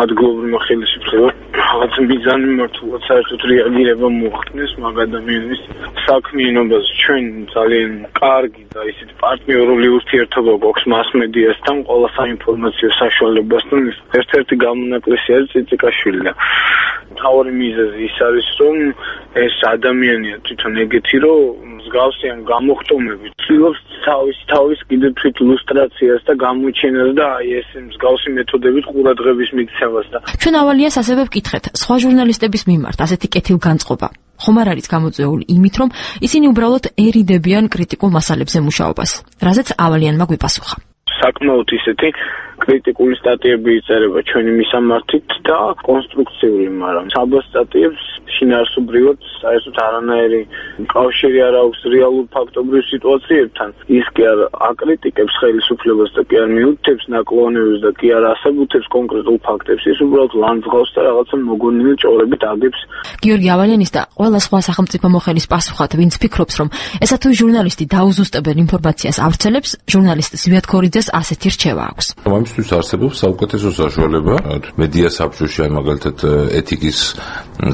ადგილობრივმა ხელისუფლებამ რაღაც მიზანი მართულად საერთოდ რეაგირება მოახდინოს მაგ ადამიანის საქმიანობას. ჩვენ ძალიან კარგი და ისეთი პარტნიორული ურთიერთობა გვაქვს მასმედიასთან, ყველა საინფორმაციო საშუალებასთან. ერთ-ერთი გამონაკლისი არის წიწიკაშვილი და მთავარი მიზეზი ის არის, რომ ეს ადამიანია თვითონ ეგეთი, რომ მსგავსიან გამოხტომებით ცდილობს თავის თავის კიდევ თვით ლუსტრაციას და გამოჩენას და აი ეს მსგავსი მეთოდებით ყურადღების მიქცევას და ჩვენ ავალიას ასევე ვკითხეთ სხვა ჟურნალისტების მიმართ ასეთი კეთილგანწყობა ხომ არ არის გამოწვეული იმით, რომ ისინი უბრალოდ ერიდებიან კრიტიკულ მასალებზე მუშაობას, რაზეც ავალიანმა გვიპასუხა. საკმაოდ ისეთი კრიტიკული სტატიები იწერება ჩვენი მისამართით და კონსტრუქციული, მაგრამ საბა სტატიებს შინაარსობრივად საერთოდ არანაირი კავშირი არ აქვს რეალურ ფაქტობრივ სიტუაციებთან. ის კი არ აკრიტიკებს ხელისუფლებას და კი არ მიუთითებს ნაკლონებებს და კი არ ასაბუთებს კონკრეტულ ფაქტებს. ის უბრალოდ ლანძღავს და რაღაცა მოგონილი ჭორებით აგებს. გიორგი ავალიანის და ყველა სხვა სახელმწიფო მოხელის პასუხად, ვინც ფიქრობს, რომ ესა თუ ჟურნალისტი დაუზუსტებელ ინფორმაციას ავრცელებს, ჟურნალისტ ზვიად ქორიძეს ასეთი რჩევა აქვს. ამისთვის არსებობს საუკეთესო საშუალება მედია საბჭოში, აი მაგალითად ეთიკის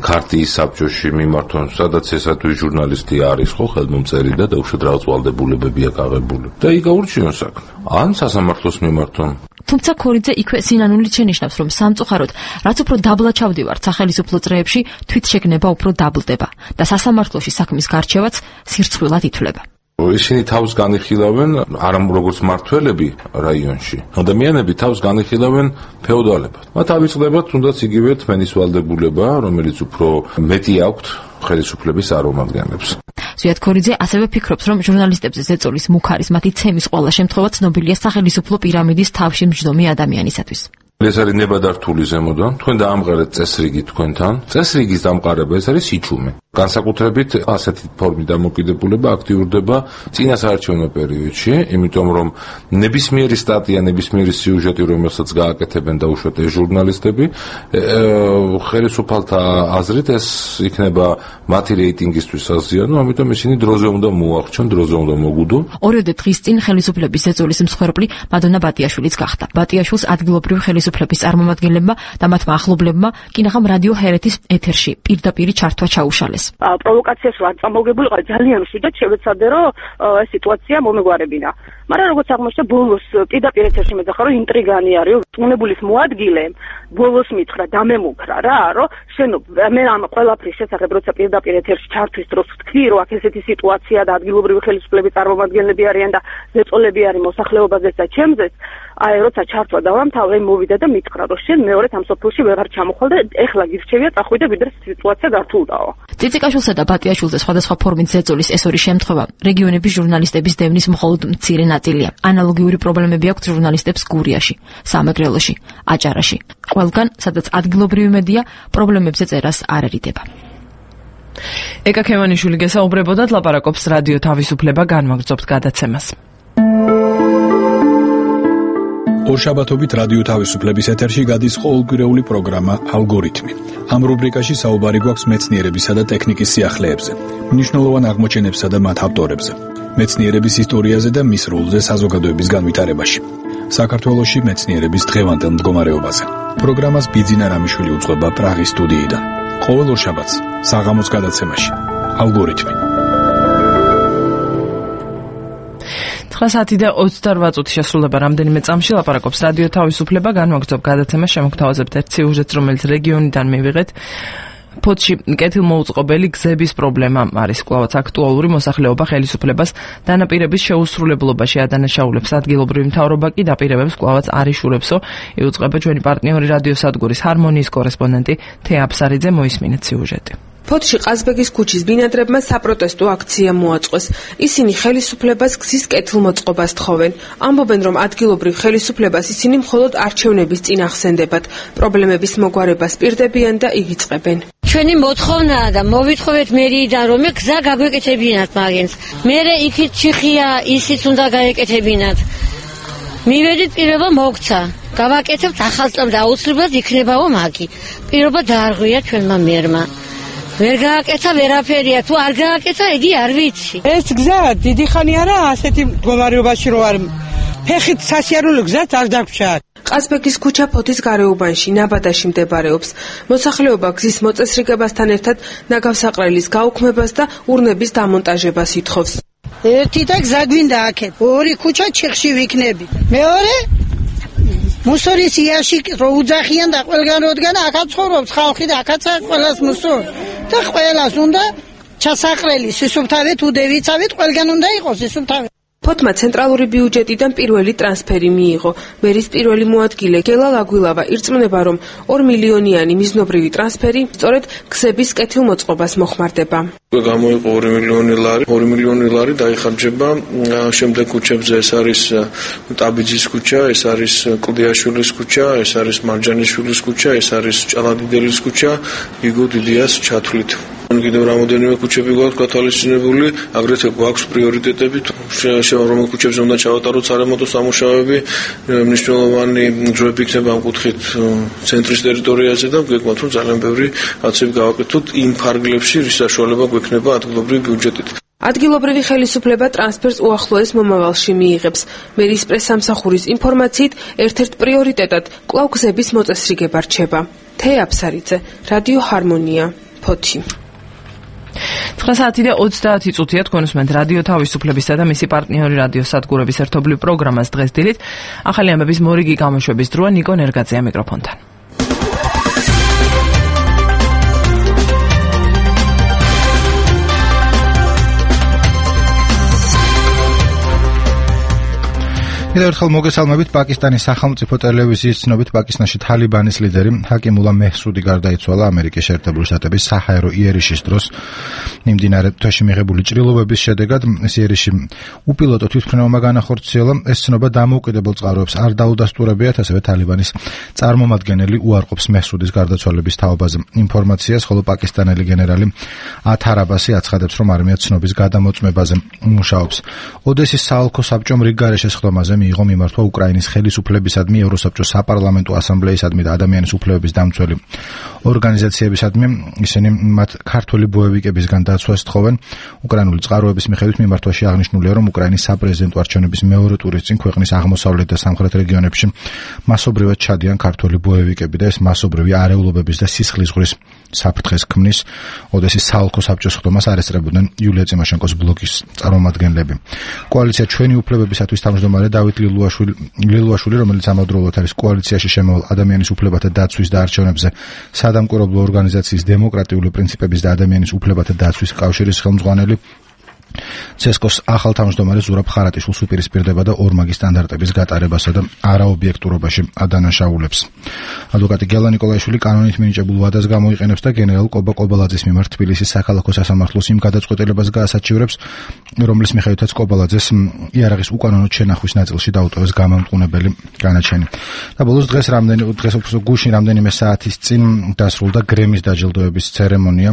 ქარტიის საბჭოში მიმართონ, სადაც ესა თუ ჟურნალისტი არის ხო ხელმომწერი და დაუშვათ რაღაც ვალდებულებებია გაღებული. და იქ გაურჩიონ საქმე. ან სასამართლოს მიმართონ. თუმცა ქორიძე იქვე სინანულით შენიშნავს, რომ სამწუხაროდ, რაც უფრო დაბლა ჩავდივართ სახელმწიფო წრეებში, თვითშეგნება უფრო დაბლდება და სასამართლოში საქმის გარჩევაც სირცხვილად ითვლება. ისინი თავს განიხილავენ არა როგორც მართველები რაიონში, ადამიანები თავს განიხილავენ ფეოდალებად. მათ ავიწყდება თუნდაც იგივე თმენის ვალდებულება, რომელიც უფრო მეტი აქვთ ხელისუფლების წარმომადგენლებს. ზვიად ქორიძე ასევე ფიქრობს, რომ ჟურნალისტებზე ზეწოლის მუქარის მათი ცემის ყველა შემთხვევა ცნობილია სახელმწიფო პირამიდის თავში მჯდომი ადამიანისათვის. ეს არის ნებადართული ზემოდან, თქვენ დაამყარეთ წესრიგი თქვენთან. წესრიგის დამყარება ეს არის სიჩუმე. განსაკუთრებით ასეთი ფორმით დამოკიდებულება აქტიურდება წინასაარჩევნო პერიოდში, იმიტომ რომ ნებისმიერი სტატია, ნებისმიერი სიუჟეტი, რომელსაც გააკეთებენ დაუშვათ ეს ჟურნალისტები, ხელისუფალთა აზრით ეს იქნება მათი რეიტინგისთვის საზიანო, ამიტომ ისინი დროზე უნდა მოახჩონ, დროზე უნდა მოგუდონ. ორიოდე დღის წინ ხელისუფლების ზეწოლის მსხვერპლი მადონა ბატიაშვილიც გახდა. ბატიაშვილს ადგილობრივი ხელისუფლების წარმომადგენლებმა და მათმა ახლობლებმა კინაღამ რადიო ჰერეთის ეთერში პირდაპირ ჩართვა ჩაუშალეს. პროვოკაციას ვარ წამოღებულიყო ძალიან შვიდად შევეცადე რომ ეს სიტუაცია მომეგვარებინა. მაგრამ როგორც აღმოჩნდა ბოლოს პირდაპირ ეთერში მეძახა რომ ინტრიგანი არის, ტუნებულის მოადგილემ ბოლოს მითხრა დამემუქრა რა, რომ შენო მე ამ ყველაფრის შესახებ როცა პირდაპირ ეთერში ჩართვის დროს ვთქვი რომ აქ ესეთი სიტუაცია და ადგილობრივი ხელისუფლების წარმომადგენლები არიან და ზეწოლები არის მოსახლეობაზეც და ჩემზეც, აი როცა ჩართვა დავამთავრე მოვიდა და მითხრა რომ შენ მეორედ ამ სოფელში ვეღარ ჩამოხვალ და ეხლა გირჩევია წახვიდე ვიდრე სიტუაცია გართულდაო. ციციკაშვილსა და ბატიაშვილზე სხვადასხვა ფორმით ზეწოლის ეს ორი შემთხვევა რეგიონების ჟურნალისტების დევნის მხოლოდ მცირე ნაწილია. ანალოგიური პრობლემები აქვს ჟურნალისტებს გურიაში, სამეგრელოში, აჭარაში. ყველგან, სადაც ადგილობრივი მედია პრობლემებზე წერას არ ერიდება. ეკა ქემანიშვილი გესაუბრებოდათ, ლაპარაკობს რადიო თავისუფლება, განვაგრძობთ გადაცემას. ორშაბათობით რადიო თავისუფლების ეთერში გადის ყოველკვირეული პროგრამა ალგორითმი. ამ რუბრიკაში საუბარი გვაქვს მეცნიერებისა და ტექნიკის სიახლეებზე, მნიშვნელოვან აღმოჩენებსა და მათ ავტორებზე, მეცნიერების ისტორიაზე და მის როლზე საზოგადოების განვითარებაში. საქართველოში მეცნიერების დღევანდელ მდგომარეობაზე. პროგრამას ბიძინა რამიშვილი უძღვება პრაღის სტუდიიდან. ყოველ ორშაბათს საღამოს გადაცემაში ალგორითმი. ცხრა საათი და ოცდარბა წუთი შესრულება რამდენიმე წამში ლაპარაკობს რადიო თავისუფლება, განვაგრძობ გადაცემას, შემოგთავაზებთ ერთ სიუჟეტს, რომელიც რეგიონიდან მივიღეთ. ფოთში კეთილმოუწყობელი გზების პრობლემა არის კვლავაც აქტუალური, მოსახლეობა ხელისუფლებას დანაპირების შეუსრულებლობაში ადანაშაულებს, ადგილობრივი მთავრობა კი დაპირებებს კვლავაც არ იშურებსო. იუწყება ჩვენი პარტნიორი რადიოსადგურის ჰარმონიის კორესპონდენტი თეა აფსარიძე, მოისმინეთ სიუჟეტი. ფოთში ყაზბეგის ქუჩის ბინადრებმა საპროტესტო აქცია მოაწყვეს. ისინი ხელისუფლებას გზის კეთილმოწყობას თხოვენ. ამბობენ, რომ ადგილობრივ ხელისუფლებას ისინი მხოლოდ არჩევნების წინ ახსენდებათ. პრობლემების მოგვარებას პირდებიან და ივიწყებენ. ჩვენი მოთხოვნაა და მოვითხოვეთ მერიიდან, რომ გზა გაგვეკეთებინათ მაგენს. მერე იქით ჩიხია, ისიც უნდა გაეკეთებინათ. მივედით, პირობა მოგცა. გავაკეთებთ ახალწლამდე და აუცილებლად იქნებაო მაგი. პირობა დაარღვია ჩვენმა მერმა. ვერ გააკეთა ვერაფერია, თუ არ გააკეთა ედი არ ვიცი. ეს გზა დიდი ხანი არა ასეთი მდგომარეობაში რო არ ფეხით სასიარულო გზაც არ დაგვრჩა. ყაზბეგის ქუჩა ფოთის გარეუბანში, ნაბადაში მდებარეობს. მოსახლეობა გზის მოწესრიგებასთან ერთად ნაგავსაყრელის გაუქმებას და ურნების დამონტაჟებას ითხოვს. ერთი და გზა გვინდა აქეთ. ორი ქუჩა ჩიხში ვიქნები. მეორე მუსორის იაში რო უძახიან და ყველგან როდგან აქაც ცხოვრობს ხალხი და აქაც ყველას მუსორ და ყველას უნდა ჩასაყრელი სისუფთავე თუ დევიცავით ყველგან უნდა იყოს სისუფთავე. ფოთმა ცენტრალური ბიუჯეტიდან პირველი ტრანსფერი მიიღო. მერის პირველი მოადგილე გელა ლაგვილავა ირწმუნება, რომ ორ მილიონიანი მიზნობრივი ტრანსფერი სწორედ გზების კეთილმოწყობას მოხმარდება. გამოიყო ორი მილიონი ლარი, ორი მილიონი ლარი დაიხარჯება შემდეგ ქუჩებზე. ეს არის ტაბიძის ქუჩა, ეს არის კლდიაშვილის ქუჩა, ეს არის მარჯანიშვილის ქუჩა, ეს არის ჭალადიდელის ქუჩა, გიგო დიდიას ჩათვლით. კიდევ რამოდენიმე ქუჩები გვაქვს გათვალისწინებული, აგრეთვე გვაქვს პრიორიტეტები, რომელ ქუჩებზე უნდა ჩავატაროთ სარემონტო სამუშაოები, მნიშვნელოვანი ჯგუფი იქნება ამ კუთხით ცენტრის ტერიტორიაზე და გვეკმათ, რომ ძალიან ბევრი კაცები გავაკეთოთ იმ ფარგლებში, რის საშუალება გვექნება ადგილობრივი ბიუჯეტით. ადგილობრივი ხელისუფლება ტრანსფერს უახლოეს მომავალში მიიღებს. მერის პრესამსახურის ინფორმაციით, ერთ-ერთ პრიორიტეტად კვლავ გზების მოწესრიგება რჩება. თეა აფსარიძე, რადიო ჰარმონია, ფოთი. ცხრა საათი და ოცდაათი წუთია თქვენ უსმენთ რადიო თავისუფლებისა და მისი პარტნიორი რადიო სადგურების ერთობლივ პროგრამას დღეს დილით. ახალი ამბების მორიგი გამოშვების დროა ნიკო ნერგაძეა მიკროფონთან. კიდევ ერთხელ მოგესალმებით. პაკისტანის სახელმწიფო ტელევიზიის ცნობით პაკისტანში თალიბანის ლიდერი ჰაკიმულა მეჰსუდი გარდაიცვალა ამერიკის შეერთებული შტატების საჰაერო იერიშის დროს. მიმდინარე თვეში მიღებული ჭრილობების შედეგად ეს იერიში უპილოტო თვითმფრინავმა განახორციელა. ეს ცნობა დამოუკიდებელ წყაროებს არ დაუდასტურებიათ, ასევე თალიბანის წარმომადგენელი უარყოფს მეჰსუდის გარდაცვალების თაობაზე ინფორმაციას, ხოლო პაკისტანელი გენერალი ათარ აბასი აცხადებს, რომ არმია ცნობის გადამოწმებაზე მუშაობს. ოდესის საოლქო საბჭომ რიგ გარეშე სხდომაზე მიიღო მიმართვა უკრაინის ხელისუფლებისადმი, ევროსაბჭოს საპარლამენტო ასამბლეისადმი და ადამიანის უფლებების დამცველი ორგანიზაციებისადმი. ისინი მათ ქართული ბოევიკებისგან დაცვას თხოვენ. უკრაინული წყაროების მიხედვით მიმართვაში აღნიშნულია, რომ უკრაინის საპრეზიდენტო არჩევნების მეორე ტურის წინ ქვეყნის აღმოსავლეთ და სამხრეთ რეგიონებში მასობრივად ჩადიან ქართული ბოევიკები და ეს მასობრივი არეულობების და სისხლის ზღვრის საფრთხეს ქმნის. ოდესის საოლქო საბჭოს სხდომას არ ესწრებოდნენ იულია წიმაშენკოს ბლოკის წარმომადგენლები. კოალიცია ჩვენი უფლებებისათვის თავმჯდომარე დავით ლილუაშვილი, ლილუაშვილი, რომელიც ამავდროულად არის კოალიციაში შემოვალ ადამიანის უფლებათა დაცვის და არჩევნებზე სადამკვირვებლო ორგანიზაციის დემოკრატიული პრინციპების და ადამიანის უფლებათა დაცვის კავშირის ხელმძღვანელი, ცესკოს ახალ თავმჯდომარე ზურაბ ხარატიშვილს უპირისპირდება და ორმაგი სტანდარტების გატარებასა და არაობიექტურობაში ადანაშაულებს. ადვოკატი გელა ნიკოლაიშვილი კანონით მინიჭებულ ვადას გამოიყენებს და გენერალ კობა კობალაძის მიმართ თბილისის საქალაქო სასამართლოს იმ გადაწყვეტილებას გაასაჩივრებს, რომლის მიხედვითაც კობალაძეს იარაღის უკანონო შენახვის ნაწილში დაუტოვეს გამამტყუნებელი განაჩენი. და ბოლოს დღეს რამდენი დღეს უფრო გუშინ რამდენიმე საათის წინ დასრულდა გრემის დაჯილდოების ცერემონია,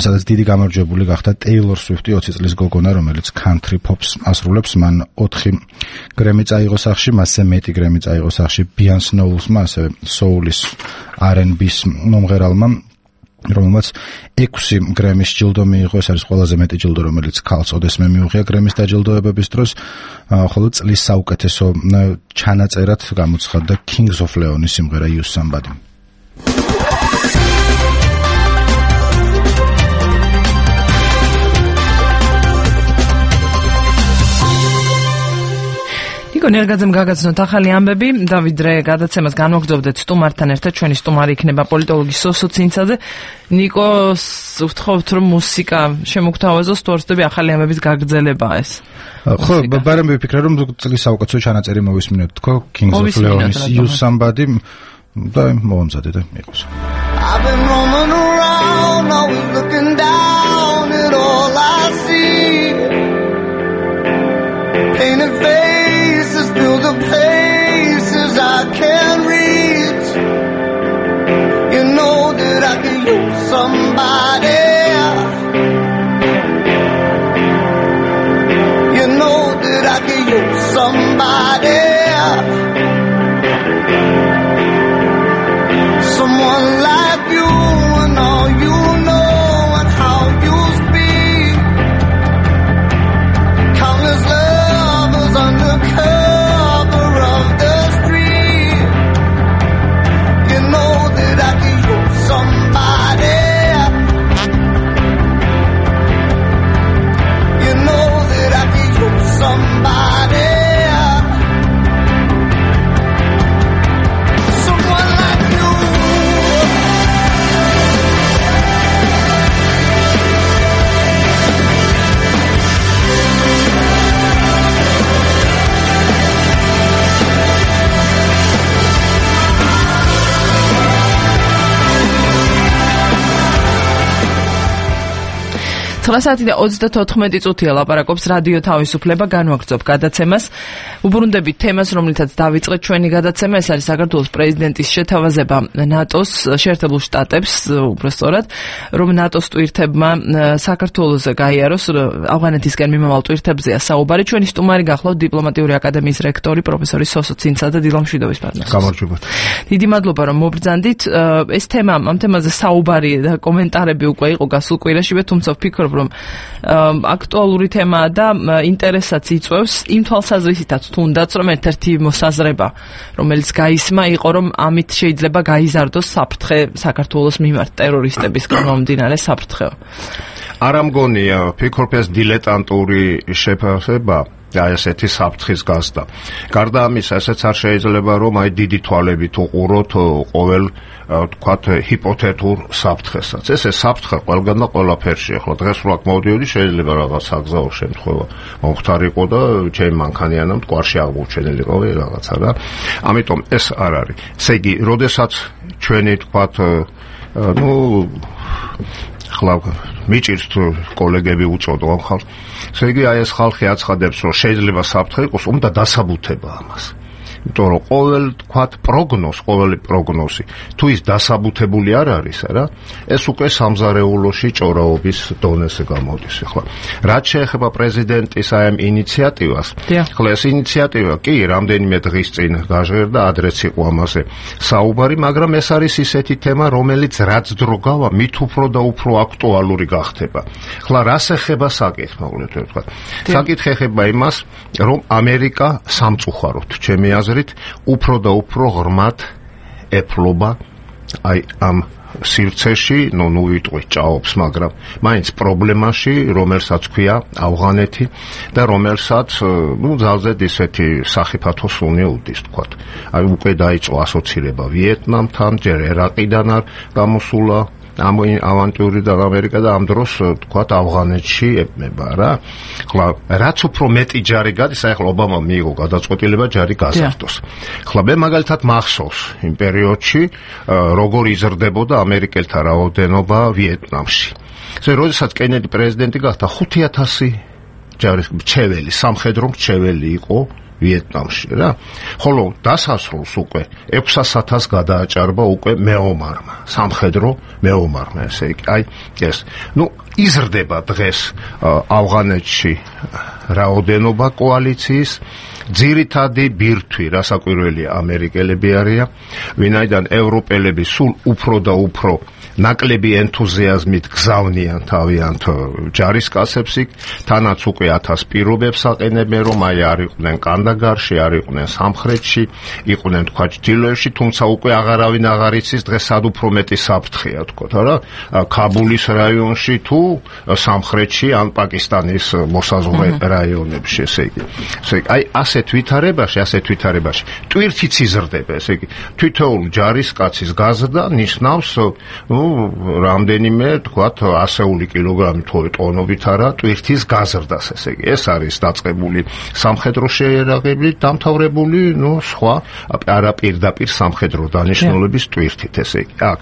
სადაც დიდი გამარჯვებული გახდა ტეილორ სვიფტი, ოცი წლის გოგონა, რომელიც country pops ასრულებს. მან ოთხი გრემი წაიღო სახში, მასზე მეტი გრემი წაიღო სახში ბიან სნოულსმა, ასევე soul-ის არ ენდ ბის მომღერალმა, რომელმაც ექვსი გრემის ჯილდო მიიღო. ეს არის ყველაზე მეტი ჯილდო, რომელიც ქალს ოდესმე მიუღია გრემის დაჯილდოებების დროს, ხოლო წლის საუკეთესო ჩანაწერად გამოცხადდა Kings of Leon-ის სიმღერა Use Somebody. ნიკო ნერგაძემ გაგაცნოთ ახალი ამბები. დავით რე გადაცემას განვაგრძობდეთ სტუმართან ერთად. ჩვენი სტუმარი იქნება პოლიტოლოგი სოსო ცინცაძე. ნიკოს ვთხოვთ, რომ მუსიკა შემოგთავაზოს, თუ არ ვცდები ახალი ამბების გაგრძელებაა ეს. ხო, ბარემ ვიფიქრე, რომ წლის საუკეთესო ჩანაწერი მოვისმინოთ თქო, Kings of Leon-ის Use Somebody და მომზადე და იყოს. I've been roaming around, always looking down at all I see. Painted faces fill the places I can't reach. You know that I can use somebody. You know that I can use somebody. Someone like you and all you know and how ცხრა საათი და ოცდათოთხმეტი წუთია ლაპარაკობს რადიო თავისუფლება, განვაგრძობ გადაცემას. უბრუნდებით თემას, რომლითაც დავიწყეთ ჩვენი გადაცემა, ეს არის საქართველოს პრეზიდენტის შეთავაზება ნატოს შეერთებულ შტატებს, უბრალოდ რომ ნატოს ტვირთებმა საქართველოზე გაიაროს, ავღანეთისკენ მიმავალ ტვირთებზეა საუბარი. ჩვენი სტუმარი გახლავთ დიპლომატიური აკადემიის რექტორი პროფესორი სოსო ცინცა და დილა მშვიდობის პარტნიორი. გამარჯობათ. დიდი მადლობა რომ მობრძანდით. ეს თემა, ამ თემაზე საუბარი და კომენტარები უკვე იყო გასულ კვირაშივე, თუმცა ვფიქრობ რომ აქტუალური თემაა და ინტერესაც იწვევს იმ თვალსაზრისითაც თუნდაც რომ ერთ-ერთი მოსაზრება, რომელიც გაისმა იყო რომ ამით შეიძლება გაიზარდოს საფრთხე საქართველოს მიმართ ტერორისტებისგან მომდინარე საფრთხეო. არ ამგონია, ვფიქრობ ეს დილეტანტური შეფასება და ესეთი საფრთხის გასდა. გარდა ამისა, ესეც არ შეიძლება რომ აი დიდი თვალებით უყუროთ ყოველ თქვათ ჰიპოთეტურ საფრთხესაც. ესე საფრთხე ყველგან და ყველაფერში. ახლა დღეს რო აქ მოვდიოდი, შეიძლება რაღაც საგზაო შემთხვევა მომხდარიყო და ჩემ მანქანიანამ მტკვარში აღმოჩენილიყო რაღაცა რა. ამიტომ ეს არ არის. ესე იგი, როდესაც ჩვენი თქვათ ნუ ახლა მიჭირს თუ კოლეგები უწოდო ამ ხალხს. ესე იგი, აი ეს ხალხი აცხადებს, რომ შეიძლება საფრთხე იყოს, უნდა დასაბუთება ამას. იმიტომ რომ ყოველ თქვათ პროგნოზ, ყოველი პროგნოზი თუ ის დასაბუთებული არ არის, რა, ეს უკვე სამზარეულოში ჭორაობის დონეზე გამოდის. ახლა რაც შეეხება პრეზიდენტის აი ამ ინიციატივას, ახლა ეს ინიციატივა კი რამდენიმე დღის წინ გაჟღერდა, ადრეც იყო ამაზე საუბარი, მაგრამ ეს არის ისეთი თემა, რომელიც რაც დრო გავა, მით უფრო და უფრო აქტუალური გახდება. ახლა რას ეხება საკითხი, მოკლედ ვთქვათ. საკითხი ეხება იმას, რომ ამერიკა სამწუხაროდ, ჩემი აზრით, უფრო და უფრო ღრმად ეფლობა აი ამ სივრცეში, ნუ ნუ ვიტყვი ჭაობს, მაგრამ მაინც პრობლემაში, რომელსაც ქვია ავღანეთი და რომელსაც ნუ ძალზედ ისეთი სახიფათო სუნი უდის, თქვათ. აი უკვე დაიწყო ასოცირება ვიეტნამთან, ჯერ ერაყიდან არ გამოსულა ამ ავანტიური და ამერიკა და ამ დროს თქვათ ავღანეთში ებმება რა. ხლა რაც უფრო მეტი ჯარი გადის, აი ხლა ობამამ მიიღო გადაწყვეტილება ჯარი გაზარდოს. ხლა მე მაგალითად მახსოვს იმ პერიოდში როგორ იზრდებოდა ამერიკელთა რაოდენობა ვიეტნამში. ესე როდესაც კენედი პრეზიდენტი გახდა, ხუთი ათასი ჯარის მრჩეველი, სამხედრო მრჩეველი იყო ვიეტნამში რა. ხოლო დასასრულს უკვე ექვსას ათასს გადააჭარბა უკვე მეომარმა, სამხედრო მეომარმა, ესე იგი. აი ეს, ნუ იზრდება დღეს ავღანეთში რაოდენობა კოალიციის, ძირითადი ბირთვი, რასაკვირველია, ამერიკელები არიან, ვინაიდან ევროპელები სულ უფრო და უფრო ნაკლები ენთუზიაზმით გზავნიან თავიანთ ჯარისკაცებს იქ, თანაც უკვე ათას პირობებს აყენებენ, რომ აი არ იყვნენ კანდაგარში, არ იყვნენ სამხრეთში, იყვნენ თქვა ჩრდილოეთში, თუმცა უკვე აღარავინ აღარ იცის დღეს სად უფრო მეტი საფრთხეა, თქვათ რა, ქაბულის რაიონში თუ სამხრეთში ან პაკისტანის მოსაზღვრე რაიონებში, ესე იგი. ესე იგი, აი ასეთ ვითარებაში, ასეთ ვითარებაში ტვირთიც იზრდება, ესე იგი, თითოეულ ჯარისკაცის გაზრდა ნიშნავს, ნუ რამდენიმე თქვათ ასეული კილოგრამი თუ ტონობით არა ტვირთის გაზრდას, ესე იგი ეს არის დაწყებული სამხედრო შეერაღებით დამთავრებული, ნუ სხვა არაპირდაპირ სამხედრო დანიშნულების ტვირთით, ესე იგი აქ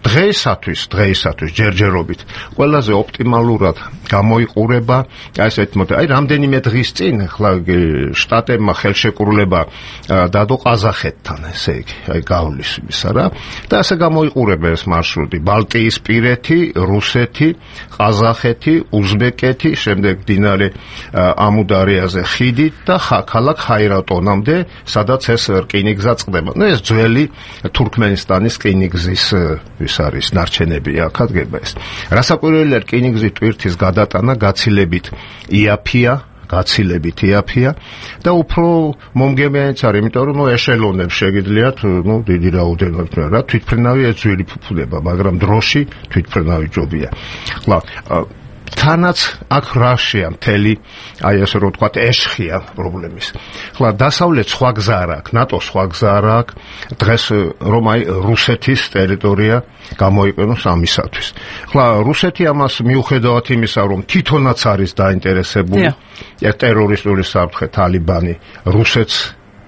დღეისათვის, დღეისათვის ჯერჯერობით ყველაზე ოპტიმალურად გამოიყურება, აი ესეთ მოდი, აი რამდენიმე დღის წინ ხლა შტატებმა ხელშეკრულება დადო ყაზახეთთან, ესე იგი, აი გავლის ისა რა, და ასე გამოიყურება ეს მარშრუტი, ბალტიისპირეთი, რუსეთი, ყაზახეთი, უზბეკეთი, შემდეგ მდინარე ამუდარიაზე ხიდით და ქალაქ ხაირატონამდე, სადაც ეს რკინიგზა წყდება. ნუ ეს ძველი თურქმენისტანის რკინიგზის არის ნარჩენები აქ ადგება ეს. რასაკვირველია, რკინიგზის ტვირთის გადატანა გაცილებით იაფია, გაცილებით იაფია და უფრო მომგებიანიც არის, იმიტომ რომ ნუ ეშელონებს შეგიძლიათ, ნუ დიდი რაოდენობით რა, თვითმფრინავი ეძვილი ფუფუდება, მაგრამ დროში თვითმფრინავი ჯობია. ხლა თანაც აქ რაშია მთელი, აი ასე რომ ვთქვათ, ეშხია პრობლემის. ხლა დასავლეთ სხვა გზა არ აქვს, ნატო სხვა გზა არ აქვს, დღეს რომ აი რუსეთის ტერიტორია გამოიყენოს ამისათვის. ხლა რუსეთი ამას მიუხედავად იმისა, რომ თვითონაც არის დაინტერესებული, ტერორისტული საფრთხე თალიბანი რუსეთს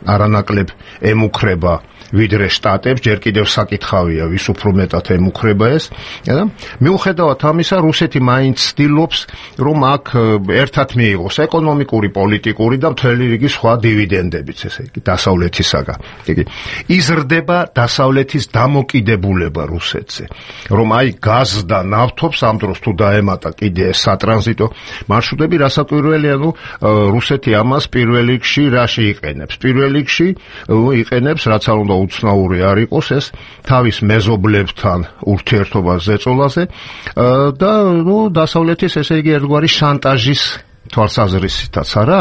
არანაკლებ ემუქრება ვიდრე შტატებს, ჯერ კიდევ საკითხავია ვის უფრო მეტად ემუქრება ეს და მიუხედავად ამისა რუსეთი მაინც ცდილობს რომ აქ ერთად მიიღოს ეკონომიკური, პოლიტიკური და მთელი რიგი სხვა დივიდენდებიც, ესე იგი დასავლეთისაგან. იგი იზრდება დასავლეთის დამოკიდებულება რუსეთზე, რომ აი გაზს და ნავთობს ამ დროს თუ დაემატა კიდე ეს სატრანზიტო მარშრუტები, რასაკვირველია, ნუ რუსეთი ამას პირველ რიგში რაში იყენებს? პირველ რიგში იყენებს, რაც არ უნდა უცნაური არ იყოს, ეს თავის მეზობლებთან ურთიერთობას ზეწოლაზე და ნუ დასავლეთის ესე იგი ერთგვარი შანტაჟის თვალსაზრისითაც არა?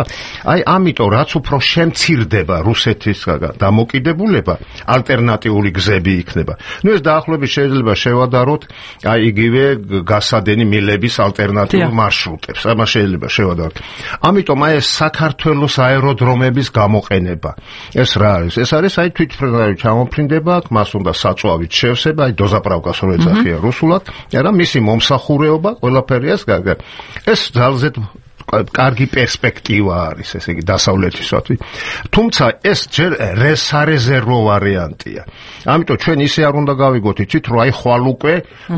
აი ამიტომ რაც უფრო შემცირდება რუსეთის დამოკიდებულება, ალტერნატიული გზები იქნება. ნუ ეს დაახლოებით შეიძლება შევადაროთ აი იგივე გასადენი მილების ალტერნატიულ მარშრუტებს. ამას შეიძლება შევადაროთ. ამიტომ აი ეს საქართველოს აეროდრომების გამოყენება. ეს რა არის? ეს არის აი თვითმფრინავი ჩამოფრინდება, აქ მას უნდა საწვავით შევსება, აი დოზაპრავკას რო ეძახია რუსულად, არა მისი მომსახურეობა, ყველაფერი ეს ეს ძალზედ კარგი პერსპექტივა არის, ესე იგი დასავლეთისათვის. თუმცა ეს ჯერ სარეზერვო ვარიანტია. ამიტომ ჩვენ ისე არ უნდა გავიგოთ, იცით, რომ აი ხვალ უკვე,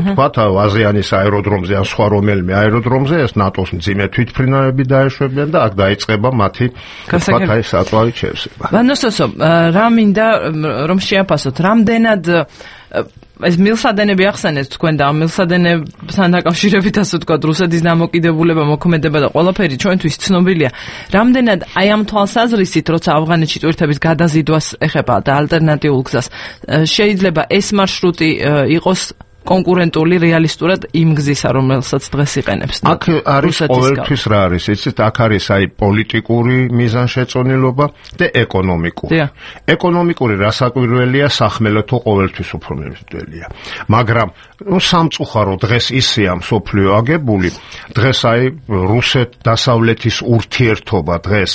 თქვათ, აზიანის აეროდრომზე ან სხვა რომელიმე აეროდრომზე ეს ნატოს მძიმე თვითმფრინავები დაეშვებიან და აქ დაიწყება მათი, თქვათ, აი საწვავით შევსება. ვანოსოსო, რა მინდა რომ შეაფასოთ, რამდენად ეს მილსადენები ახსენეთ თქვენ და ამ მილსადენებთან დაკავშირებით ასე ვთქვათ რუსეთის დამოკიდებულება, მოქმედება და ყველაფერი ჩვენთვის ცნობილია. რამდენად აი ამ თვალსაზრისით, როცა ავღანეთში ტვირთების გადაზიდვას ეხება და ალტერნატიულ გზას, შეიძლება ეს მარშრუტი იყოს კონკურენტული რეალისტურად იმ გზისა, რომელსაც დღეს იყენებს. აქ არის ყოველთვის რა არის, იცით, აქ არის აი პოლიტიკური მიზანშეწონილობა და ეკონომიკური. ეკონომიკური რასაკვირველია, სახმელეთო ყოველთვის უფრო მემკვიდრეა. მაგრამ ნუ სამწუხარო დღეს ისეა მსოფლიო აგებული, დღეს აი რუსეთ-დასავლეთის ურთიერთობა დღეს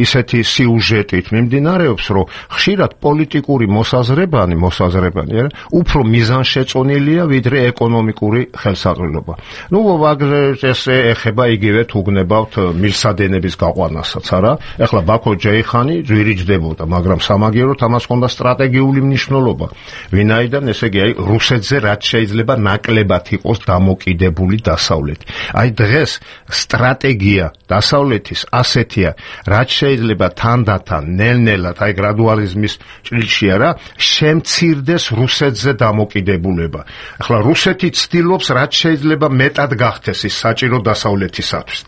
ისეთი სიუჟეტით მიმდინარეობს, რომ ხშირად პოლიტიკური მოსაზრებანი, მოსაზრებანი არა, უფრო მიზანშეწონილია ვიდრე ეკონომიკური ხელსაყრელობა. ნუ ვაგზელს ეხება იგივე თუ გნებავთ მილსადენების გაყვანასაც, არა? ეხლა ბაქო-ჯეიხანი ძვირიჯდებოდა, მაგრამ სამაგიეროდ ამას ჰქონდა სტრატეგიული მნიშვნელობა. ვინაიდან, ესე იგი, აი რუსეთზე რაც შეიძლება ნაკლებად იყოს დამოკიდებული დასავლეთი. აი დღეს სტრატეგია დასავლეთის ასეთია, რაც შეიძლება თანდათან, ნელ-ნელად, აი გრადუალიზმის ჭრილში არა, შემცირდეს რუსეთზე დამოკიდებულება. ახლა რუსეთი ცდილობს რაც შეიძლება მეტად გახდეს ის საჭირო დასავლეთისათვის.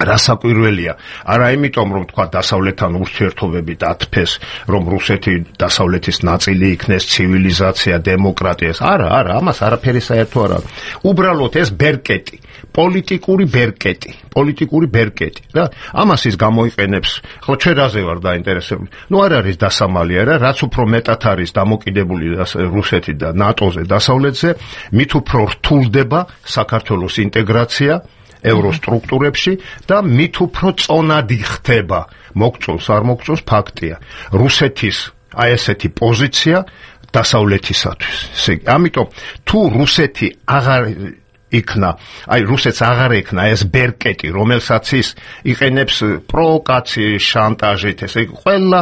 რასაკვირველია, არა იმიტომ რომ თქვა დასავლეთთან ურთიერთობები დათფეს, რომ რუსეთი დასავლეთის ნაწილი იქნეს, ცივილიზაცია, დემოკრატია, არა, არა, ამას არაფერი საერთო არ აქვს. უბრალოდ ეს ბერკეტი, პოლიტიკური ბერკეტი, პოლიტიკური ბერკეტი და ამას ის გამოიყენებს. ხო, ჩვენ რაზე ვარ დაინტერესებული? ნუ არ არის დასამალი, არა, რაც უფრო მეტად არის დამოკიდებული რუსეთი და ნატოზე, დასავლეთზე, მით უფრო რთულდება საქართველოს ინტეგრაცია ევროსტრუქტურებში და მით უფრო წონადი ხდება. მოგწონს არ მოგწონს, ფაქტია. რუსეთის აი ესეთი პოზიცია დასავლეთისათვის. ესე იგი, ამიტომ თუ რუსეთი აღარ იქნა, აი რუსეთს აღარ ექნა ეს ბერკეტი, რომელსაც ის იყენებს პროვოკაციის, შანტაჟით, ესე იგი, ყველა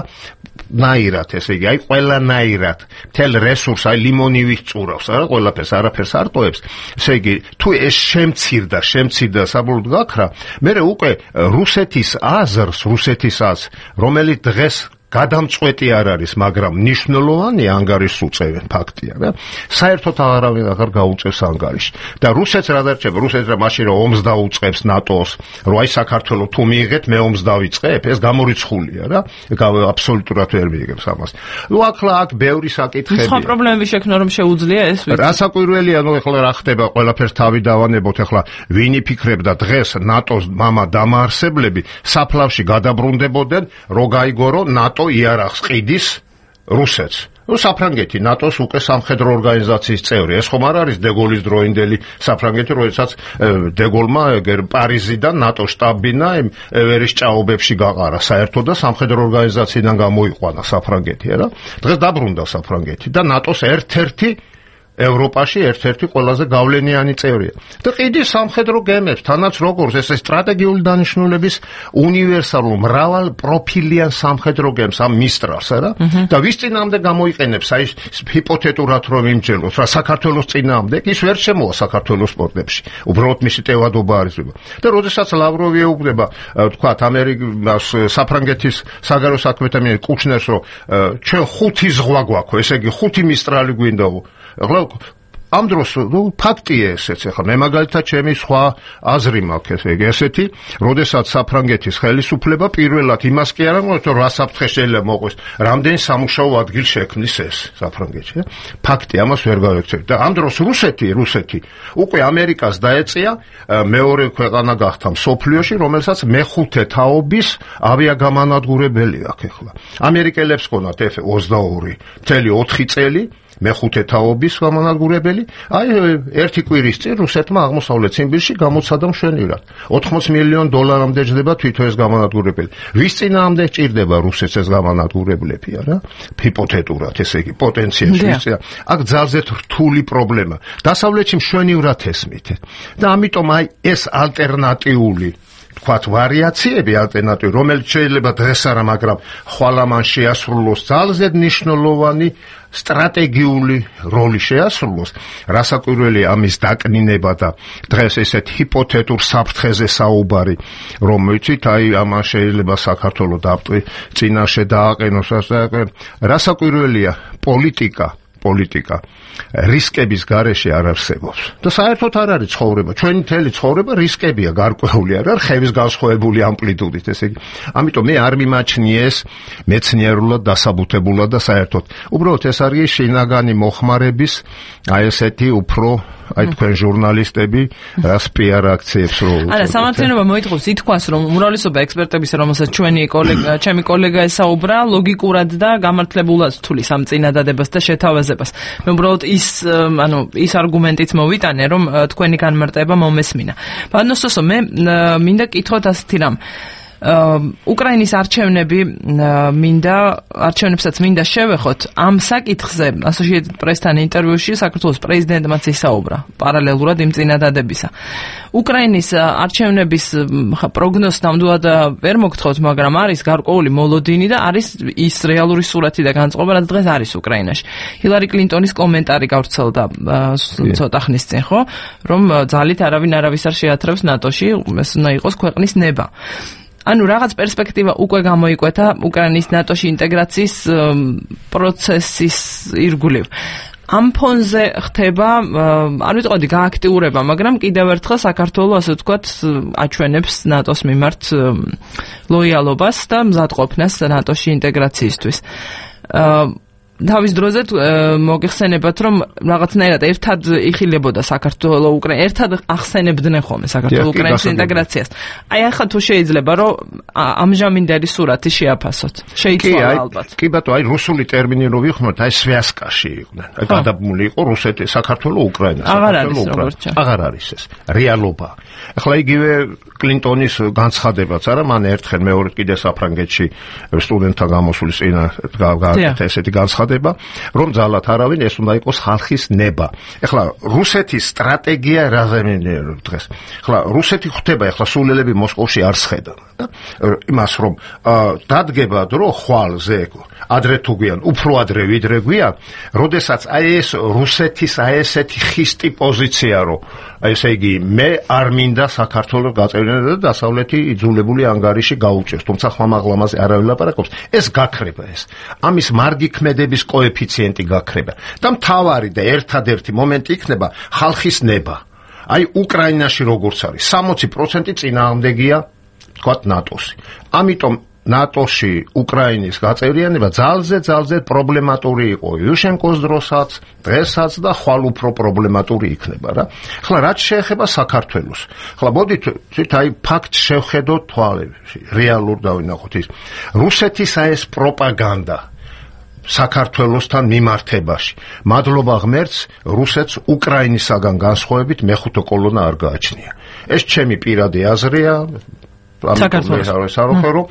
ნაირად, ესე იგი, აი ყველანაირად მთელ რესურს აი ლიმონივით წურავს, არა, ყველაფერს, არაფერს არ ტოვებს. ესე იგი, თუ ეს შემცირდა, შემცირდა საბოლოოდ გაქრა, მე უკვე რუსეთის აზრს, რუსეთის აზრს, რომელიც დღეს გადამწყვეტი არ არის, მაგრამ მნიშვნელოვანი ანგარიშს უწევენ, ფაქტია რა. საერთოდ აღარავინ აღარ გაუწევს ანგარიშს. და რუსეთს რა დარჩება? რუსეთს რა მაშინ რომ ომს დაუწყებს ნატოს, რომ აი საქართველო თუ მიიღეთ, მე ომს დავიწყებ, ეს გამორიცხულია რა. აბსოლუტურად ვერ მიიღებს ამას. ნუ ახლა აქ ბევრი საკითხები. სხვა პრობლემები შექმნა რომ შეუძლია ეს ვიცი. რასაკვირველია, ნუ ახლა რა ხდება, ყველაფერს თავი დავანებოთ, ახლა ვინ იფიქრებდა დღეს ნატოს მამა დამაარსებლები საფლავში გადაბრუნდებოდნენ, რო გაიგორო ნატო იარაღს ყიდის რუსეთს. ნუ საფრანგეთი ნატოს უკვე სამხედრო ორგანიზაციის წევრი. ეს ხომ არ არის დეგოლის დროინდელი საფრანგეთი, როდესაც დეგოლმა პარიზიდან ნატო შტაბ-ბინა ევერის ჭაობებში გაყარა საერთო და სამხედრო ორგანიზაციიდან გამოიყვანა საფრანგეთი, არა? დღეს დაბრუნდა საფრანგეთი და ნატოს ერთ-ერთი ევროპაში ერთ-ერთი ყველაზე გავლენიანი წევრია. და ყიდის სამხედრო გემებს, თანაც როგორც ეს სტრატეგიული დანიშნულების უნივერსალურ მრავალ პროფილიან სამხედრო გემს, ამ მისტრალს, არა? და ვის წინააღმდეგ გამოიყენებს, აი ჰიპოთეტურად რომ იმჯეროთ, რა საქართველოს წინააღმდეგ, ის ვერ შემოვა საქართველოს პორტებში. უბრალოდ მისი ტევადობა არის. და როდესაც ლავროვი ეუბნება, თქვათ, ამერიკას საფრანგეთის საგარეო საქმეთა მინისტრი კუჩნერს, რომ ჩვენ ხუთი ზღვა გვაქვს, ესე იგი ხუთი მისტრალი გვინდაო. ახლა ამ დროს ფაქტია ესეც, ახლა მე მაგალითად ჩემი სხვა აზრი მაქვს, ესე იგი ესეთი, როდესაც საფრანგეთის ხელისუფლება პირველად იმას კი არა მოწოდა, რა საფრთხე შეიძლება მოყოს, რამდენი სამუშაო ადგილ შექმნის ეს საფრანგეთში. ფაქტი ამას ვერ გავექცევი. და ამ დროს რუსეთი, რუსეთი უკვე ამერიკას დაეწია მეორე ქვეყანა გახდა მსოფლიოში, რომელსაც მეხუთე თაობის ავიაგამანადგურებელი აქვს ახლა. ამერიკელებს ჰქონდათ ეფ ოცდაორი წელი ოთხი წელი მეხუთე თაობის გამანადგურებელი, აი ერთი კვირის წინ რუსეთმა აღმოსავლეთ ციმბირში გამოცადა მშვენივრად. ოთხმოცი მილიონი დოლარამდე ჯდება თვითონ ეს გამანადგურებელი. ვის წინააღმდეგ ჭირდება რუსეთს ეს გამანადგურებლები, არა? ჰიპოთეტურად, ესე იგი, პოტენციაში ვის წინა. აქ ძალზედ რთული პრობლემა. დასავლეთში მშვენივრად ესმით. და ამიტომ აი ეს ალტერნატიული თქვათ ვარიაციები ალტერნატივი, რომელიც შეიძლება დღეს არა, მაგრამ ხვალ ამან შეასრულოს ძალზედ მნიშვნელოვანი სტრატეგიული როლი შეასრულოს, რასაკვირველია ამის დაკნინება და დღეს ესეთ ჰიპოთეტურ საფრთხეზე საუბარი, რომ ვიცით, აი ამან შეიძლება საქართველოს დაპტვი წინაშე დააყენოს, რასაკვირველია პოლიტიკა პოლიტიკა რისკების გარეშე არ არსებობს. და საერთოდ არ არის ცხოვრება. ჩვენი მთელი ცხოვრება რისკებია გარკვეული, არ არის ხევის განსხვავებული ამპლიტუდით, ესე იგი. ამიტომ მე არ მიმაჩნიე ეს მეცნიერულად დასაბუთებულად და საერთოდ. უბრალოდ ეს არის შინაგანი მოხმარების აი ესეთი უფრო აი თქვენ ჟურნალისტები რას პიარ აქციებს რო არა, სამართლიანობა მოითხოვს ითქვას, რომ უმრავლესობა ექსპერტების, რომელსაც ჩვენი კოლეგა, ჩემი კოლეგა ესაუბრა, ლოგიკურად და გამართლებულად თulis ამ წინადადებას და შეთავაზებას. მე უბრალოდ ის ანუ ის არგუმენტით მოვიტანე, რომ თქვენი განმარტება მომესმინა. ბანოსოსო, მე მინდა კითხოთ ასეთი რამ. უკრაინის არჩევნები მინდა არჩევნებსაც მინდა შევეხოთ ამ საკითხზე Associated Press-თან ინტერვიუში საქართველოს პრეზიდენტმაც ისაუბრა პარალელურად იმ წინადადებისა. უკრაინის არჩევნების პროგნოზს ნამდვილად ვერ მოგთხოვთ, მაგრამ არის გარკვეული მოლოდინი და არის ის რეალური სურათი და განწყობა, რაც დღეს არის უკრაინაში. ჰილარი კლინტონის კომენტარი გავრცელდა ცოტა ხნის წინ, ხო, რომ ძალით არავინ არავის არ შეათრევს ნატოში, ეს უნდა იყოს ქვეყნის ნება. ანუ რაღაც პერსპექტივა უკვე გამოიკვეთა უკრაინის ნატოში ინტეგრაციის პროცესის ირგვლივ. ამ ფონზე ხდება, არ ვიტყოდი გააქტიურება, მაგრამ კიდევ ერთხელ საქართველოს, ასე ვთქვათ, აჩვენებს ნატოს მიმართ ლოიალობას და მზადყოფნას ნატოში ინტეგრაციისთვის. თავის დროზე მოგეხსენებათ, რომ რაღაცნაირად ერთად იხილებოდა საქართველოს უკრაინა, ერთად ახსენებდნენ ხოლმე საქართველოს უკრაინის ინტეგრაციას. აი ახლა თუ შეიძლება რომ ამჟამინდელი სურათი შეაფასოთ. შეიძლება ალბათ. კი ბატონო, აი რუსული ტერმინი რო ვიხმოთ, აი სვიასკაში იყვნენ. აი გადაბმული იყო რუსეთი, საქართველოს უკრაინა, საქართველოს უკრაინა. აღარ არის ეს რეალობა. ახლა იგივე კლინტონის განცხადებაც არა, მან ერთხელ მეორე კიდე საფრანგეთში სტუდენტთან გამოსulis წინა გააკეთა ესეთი განცხადება, რომ ძალად არავინ ეს უნდა იყოს ხალხის ნება. ეხლა რუსეთის სტრატეგია რაზე მინდა დღეს. ეხლა რუსეთი ხვდება, ეხლა სულელები მოსკოვში არ სხედან და იმას რომ დადგება დრო ხვალზე ადრე თუ გვიან, უფრო ადრე ვიდრე გვიან, როდესაც აი ეს რუსეთის აი ესეთი ხისტი პოზიცია რო ესე იგი მე არ მინდა საქართველოს გაწევრიანება და დასავლეთი იძულებული ანგარიში გაუჭერს, თუმცა ხმამაღლამაზე არავინ ლაპარაკობს, ეს გაქრება ეს. ამის მარგი ქმედების კოეფიციენტი გაქრება. და მთავარი და ერთადერთი მომენტი იქნება ხალხის ნება. აი უკრაინაში როგორც არის, სამოცი პროცენტი წინააღმდეგია, თქვათ ნატოსი. ამიტომ ნატოში უკრაინის გაწევრიანება ძალზე ძალზე პრობლემატური იყო იუშენკოს დროსაც, დღესაც და ხვალ უფრო პრობლემატური იქნება რა. ახლა რაც შეეხება საქართველოს. ახლა მოდით აი ფაქტს შევხედოთ თვალებში, რეალურ დავინახოთ ის. რუსეთის აი ეს პროპაგანდა საქართველოსთან მიმართებაში. მადლობა ღმერთს, რუსეთს უკრაინისაგან განსხვავებით მეხუთე კოლონა არ გააჩნია. ეს ჩემი პირადი აზრია. საქართველოს საერთო რომ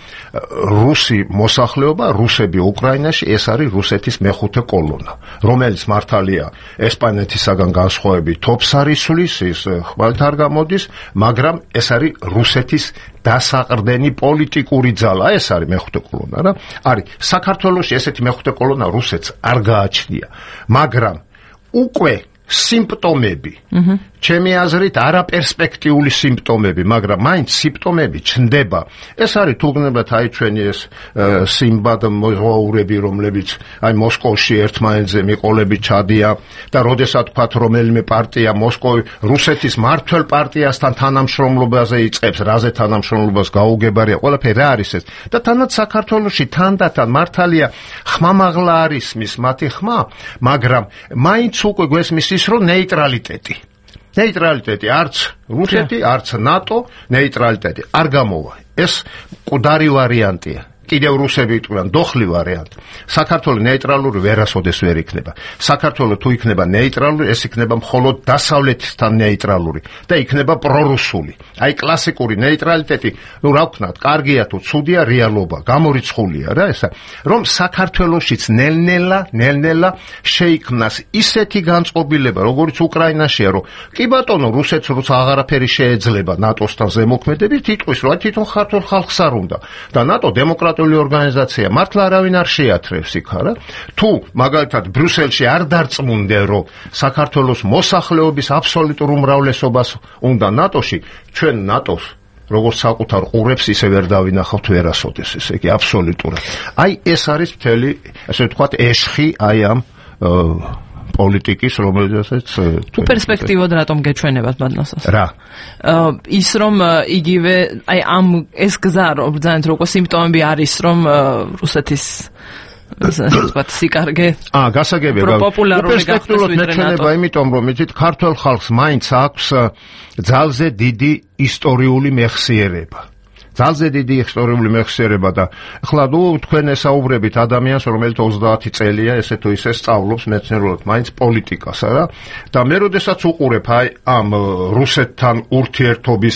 რუსი მოსახლეობა, რუსები უკრაინაში, ეს არის რუსეთის მეხუთე კოლონა, რომელიც მართალია ესპანეთისაგან განსხვავებით თოფს არის სulis, ის ხვალთ არ გამოდის, მაგრამ ეს არის რუსეთის დასაყრდენი პოლიტიკური ძალა, ეს არის მეხუთე კოლონა რა. არის საქართველოში ესეთი მეხუთე კოლონა რუსეთს არ გააჩნია, მაგრამ უკვე სიმპტომები, ჩემი აზრით არაპერსპექტიული სიმპტომები, მაგრამ მაინც სიმპტომები ჩნდება. ეს არის თუგნებად აი ჩვენი ეს სიმბად მოძღვრები, რომლებიც აი მოსკოვში ერთმანეთზე მიყოლებით ჩადია და როდესაც თქვათ რომელიმე პარტია მოსკოვი რუსეთის მართველ პარტიასთან თანამშრომლობაზე იწყებს, რაზე თანამშრომლობას გაუგებარია, ყველაფერი რა არის ეს? და თანაც საქართველოში თანდათან მართალია ხმამაღლა არის მის მათი ხმა, მაგრამ მაინც უკვე გვესმის ის რომ ნეიტრალიტეტი ნეიტრალიტეტი არც რუსეთი, არც ნატო ნეიტრალიტეტი არ გამოვა. ეს მკვდარი ვარიანტია. კიდევ რუსები იტყვიან დოხლი ვარიანტი. საქართველოს ნეიტრალური ვერასოდეს ვერ იქნება. საქართველოს თუ იქნება ნეიტრალური, ეს იქნება მხოლოდ დასავლეთთან ნეიტრალური და იქნება პრორუსული. აი კლასიკური ნეიტრალიტეტი, ну რა ვქნათ, კარგია თუ ცუდია რეალობა, გამორიცხულია რა ესა, რომ საქართველოსიც ნელ-ნელა, ნელ-ნელა შეიქმნას ისეთი განწყობილება, როგორც უკრაინაშია, რომ კი ბატონო, რუსეთს როცა აღარაფერი შეეძლება ნატოსთან ზემოქმედებით, იტყვის, რომ თვითონ ქართულ ხალხს არ უნდა და ნატო დემოკრატიული ორგანიზაცია, მართლა არავინ არ შეათრევს იქ არა? თუ მაგალითად ბრიუსელში არ დარწმუნდნენ, რომ საქართველოს მოსახლეობის აბსოლუტურ უმრავლესობას უნდა ნატოში, ჩვენ ნატოს როგორც საკუთარ ყურებს ისე ვერ დავინახავთ ვერასოდეს, ესე იგი აბსოლუტურად. აი ეს არის მთელი, ასე ვთქვათ, ეშხი აი ამ პოლიტიკის, რომელზეც თუ პერსპექტივად რატომ გეჩვენებათ ბადნასას? რა? ის რომ იგივე აი ამ ეს გზა რომ ბრძანეთ რომ სიმპტომები არის რომ რუსეთის ვთქვათ სიკარგე აა გასაგებია პოპულარული მეჩვენება, იმიტომ რომ იცით ქართულ ხალხს მაინც აქვს ძალზე დიდი ისტორიული მეხსიერება. ძალზე დიდი ისტორიული მეხსიერება და ახლა ნუ თქვენ ესაუბრებით ადამიანს, რომელიც ოცდაათი წელია ესე თუ ისე სწავლობს მეცნიერულად მაინც პოლიტიკას, არა? და მე როდესაც უყურებ აი ამ რუსეთთან ურთიერთობის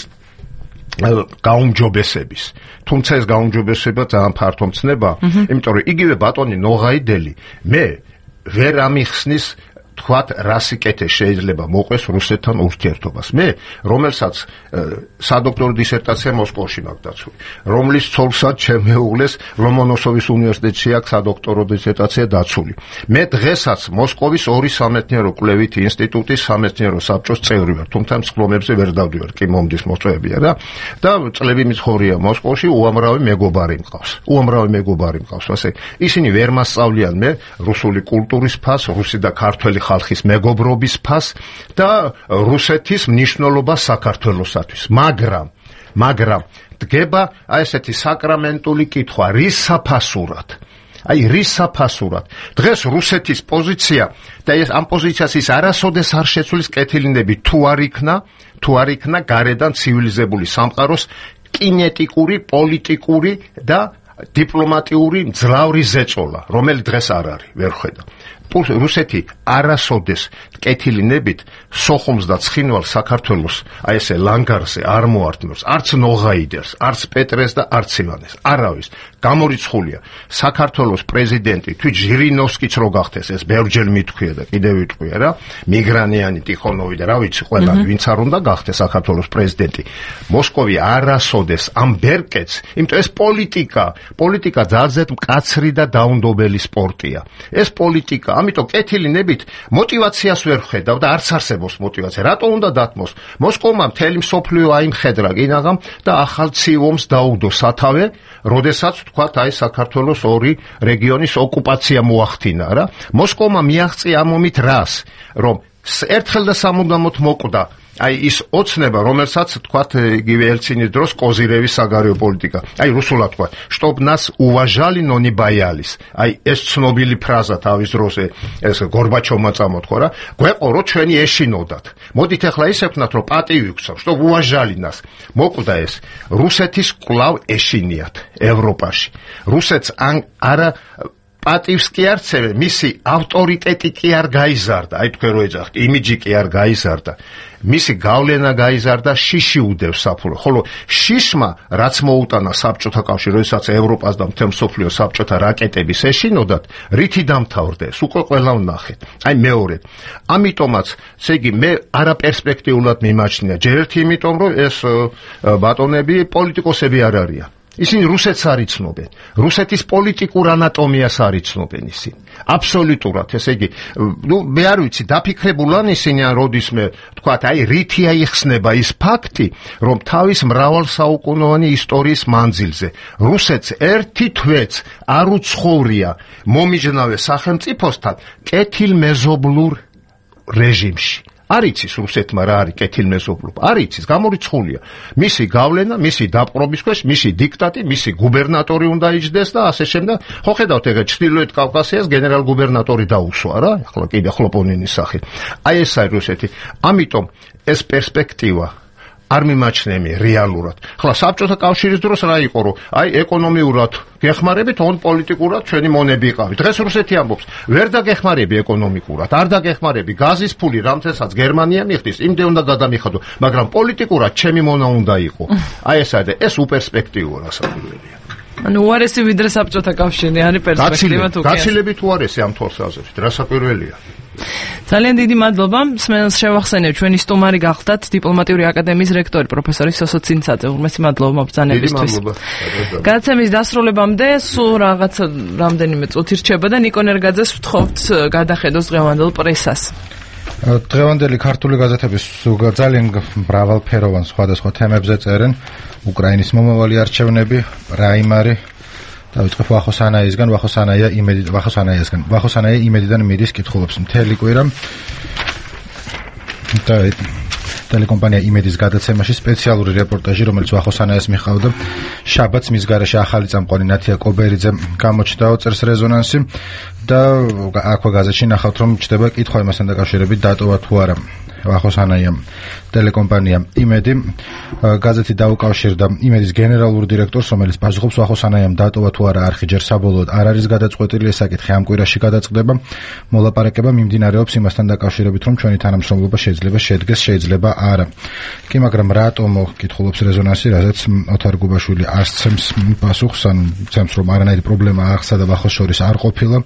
გაუმჯობესების, თუმცა ეს გაუმჯობესება ძალიან ფართო მცნება, იმიტომ რომ იგივე ბატონი ნოღაიდელი მე ვერ ამიხსნის თქვათ რა სიკეთე შეიძლება მოყვეს რუსეთთან ურთიერთობას. მე რომელსაც სადოქტორო დისერტაცია მოსკოვში მაქვს დაცული, რომლის ცოლსაც შემეუღლეს ლომონოსოვის უნივერსიტეტში აქვს სადოქტორო დისერტაცია დაცული. მე დღესაც მოსკოვის ორი სამეცნიერო კვლევითი ინსტიტუტის სამეცნიერო საბჭოს წევრი ვარ, თუმცა მსხლომებზე ვერ დავდივარ, კი მომდის მოწვევია რა. და წლები მიცხოვრია მოსკოვში, უამრავი მეგობარი მყავს. უამრავი მეგობარი მყავს, ასე ისინი ვერ მასწავლიან მე რუსული კულტურის ფასს, რუსი და ქართველი ხალხის მეგობრობის ფასს და რუსეთის მნიშვნელობას საქართველოსათვის. მაგრამ, მაგრამ დგება აი ესეთი საკრამენტული კითხვა, რის საფასურად? აი რის საფასურად? დღეს რუსეთის პოზიცია და ეს ამ პოზიციას ის არასოდეს არ შეცვლის კეთილინები თუ არ იქნა, თუ არ იქნა გარედან ცივილიზებული სამყაროს კინეტიკური, პოლიტიკური და დიპლომატიური მძლავრი ზეწოლა, რომელიც დღეს არ არის, ვერ ხედავ. რუსეთი არასოდეს კეთილინებით სოხუმს და ცხინვალს საქართველოს აი ესე ლანგარზე არ მოართმევს, არც ნოღაიდერს, არც პეტრეს და არც ივანეს, არავის. გამორიცხულია საქართველოს პრეზიდენტი თვით ჟირინოვსკიც რო გახდეს, ეს ბევრჯერ მithქვია და კიდევ ვიტყვია რა, მიგრანიანი, ტიხონოვი და რა ვიცი, ყველა ვინც არ უნდა გახდეს საქართველოს პრეზიდენტი. მოსკოვი არასოდეს ამ ბერკეტს, იმიტომ ეს პოლიტიკა, პოლიტიკა ძალზედ მკაცრი და დაუნდობელი სპორტია. ეს პოლიტიკა, ამიტომ კეთილინებით мотивაციას ვერ ხედავ და არც არსებობს мотивაცია. რატო უნდა დათმოს? მოსკოვმა მთელი მსოფლიო აიმხედრა კინაღამ და ახალ ციომს დაუდო სათავე, როდესაც თქვათ აი საქართველოს ორი რეგიონის ოკუპაცია მოახდინა რა. მოსკოვმა მიაღწია ამ ომით რას? რომ ერთხელ და სამუდამოდ მოკვდა აი ის ოცნება, რომელსაც თქვათ იგივე ელცინის დროს კოზირევის საგარეო პოლიტიკა. აი რუსულად თქვათ, чтоб нас уважали, но не боялись. აი ეს ცნობილი ფრაზა თავის დროს ეს გორბაჩოვმა წამოთქვა რა. გვეყო რომ ჩვენი ეშინოდათ. მოდით ახლა ისე ვქნათ რომ პატივი გვცავ, чтоб уважали нас. მოკვდა ეს. რუსეთის კვლავ ეშინიათ ევროპაში. რუსეთს არა პატივს კი არ ცევენ, მისი ავტორიტეტი კი არ გაიზარდა, აი თქვენ რო ეძახთ, იმიჯი კი არ გაიზარდა. მისი გავლენა გაიზარდა, შიში უდევს საფურო. ხოლო შიშმა რაც მოუტანა საბჭოთა კავშირს, როდესაც ევროპას და მთელ მსოფლიოს საბჭოთა რაკეტების ეშინოდათ, რითი დამთავრდეს, უკვე ყველა ვნახეთ. აი მეორე. ამიტომაც, ესე იგი, მე არაპერსპექტიულად მიმაჩნია. ჯერ ერთი იმიტომ, რომ ეს ბატონები პოლიტიკოსები არ არიან. ისინი რუსეთს არ იცნობენ. რუსეთის პოლიტიკურ ანატომიას არ იცნობენ ისინი. აბსოლუტურად, ესე იგი, ნუ მე არ ვიცი, დაფიქრებულან ისინი ან როდისმე თქვათ, აი რითი აიხსნება ის ფაქტი, რომ თავის მრავალსაუკუნოვანი ისტორიის მანძილზე რუსეთს ერთი თვეც არ უცხოვრია მომიჯნავე სახელმწიფოსთან კეთილმეზობლურ რეჟიმში. არ იცის რუსეთმა რა არის კეთილმეზობლობა, არ იცის, გამორიცხულია. მისი გავლენა, მისი დაპყრობის ქვეშ, მისი დიქტატი, მისი გუბერნატორი უნდა იჯდეს და ასე შემდეგ. ხო ხედავთ, ეგ ჩრდილოეთ კავკასიას გენერალ-გუბერნატორი დაუსვა რა, ახლა კიდე ხლოპონინის სახით. აი ეს არის რუსეთი. ამიტომ ეს პერსპექტივა არ მიმაჩნევია რეალურად. ხლა საბჭოთა კავშირის დროს რა იყო, რომ აი ეკონომიურად გეხმარებით, on პოლიტიკურად ჩვენი მონები იყავით. დღეს რუსეთი ამბობს, ვერ დაგეხმარები ეკონომიკურად, არ დაგეხმარები გაზის ფული, რამთესაც გერმანია მიხდის, იმდე უნდა გადამიხადო, მაგრამ პოლიტიკურად ჩემი მონა უნდა იყო. აი ეს არის, ეს უპერსპექტივოა რასაკვირველია. ანუ უარესი ვიდრე საბჭოთა კავშირი არის პერსპექტივა თუ კი. გაცილებით უარესი ამ თვალსაზრისით, რასაკვირველია. ძალიან დიდი მადლობა. სმენელს შევახსენებ, ჩვენი სტუმარი გახლდათ დიპლომატიური აკადემიის რექტორი პროფესორი სოსო ცინცაძე. უმრესი მადლობა მობრძანებისთვის. დიდი მადლობა. გადაცემის დასრულებამდე სულ რაღაც რამდენიმე წუთი რჩება და ნიკო ნერგაძეს ვთხოვთ გადახედოს დღევანდელ პრესას. დღევანდელი ქართული გაზეთების ძალიან მრავალფეროვან სხვადასხვა თემებზე წერენ უკრაინის მომავალი არჩევნები, პრაიმარი. დავიწყებ ვახოსანაიისგან, ვახოსანაია იმედი, ვახოსანაიისგან, ვახოსანაია იმედიდან მიდის კითხულობს მთელი კვირა. და ტელეკომპანია იმედის გადაცემაში სპეციალური რეპორტაჟი, რომელიც ვახოსანაიას მიჰყავდა, შაბათს მის გარეშე ახალი წამყვანი ნათია კობერიძე გამოჩნდა, წერს რეზონანსი და აქვე გაზეთში ნახავთ, რომ ჩდება კითხვა იმასთან დაკავშირებით, დატოვა თუ არა ვახოსანაიამ ტელეკომპანია იმედი. გაზეთი დაუკავშირდა იმედის გენერალურ დირექტორს, რომელიც პასუხობს ვახოსანაიამ დატოვა თუ არა არხი, ჯერ საბოლოოდ არ არის გადაწყვეტილი ეს საკითხი, ამ კვირაში გადაწყდება. მოლაპარაკება მიმდინარეობს იმასთან დაკავშირებით, რომ ჩვენი თანამშრომლობა შეიძლება შედგეს, შეიძლება არა. კი, მაგრამ რატომო კითხულობს რეზონანსი, რაზეც ოთარ გუბაშვილი არ სცემს პასუხს, ან ცემს, რომ არანაირი პრობლემა აღსა და ვახოს შორის არ ყოფილა,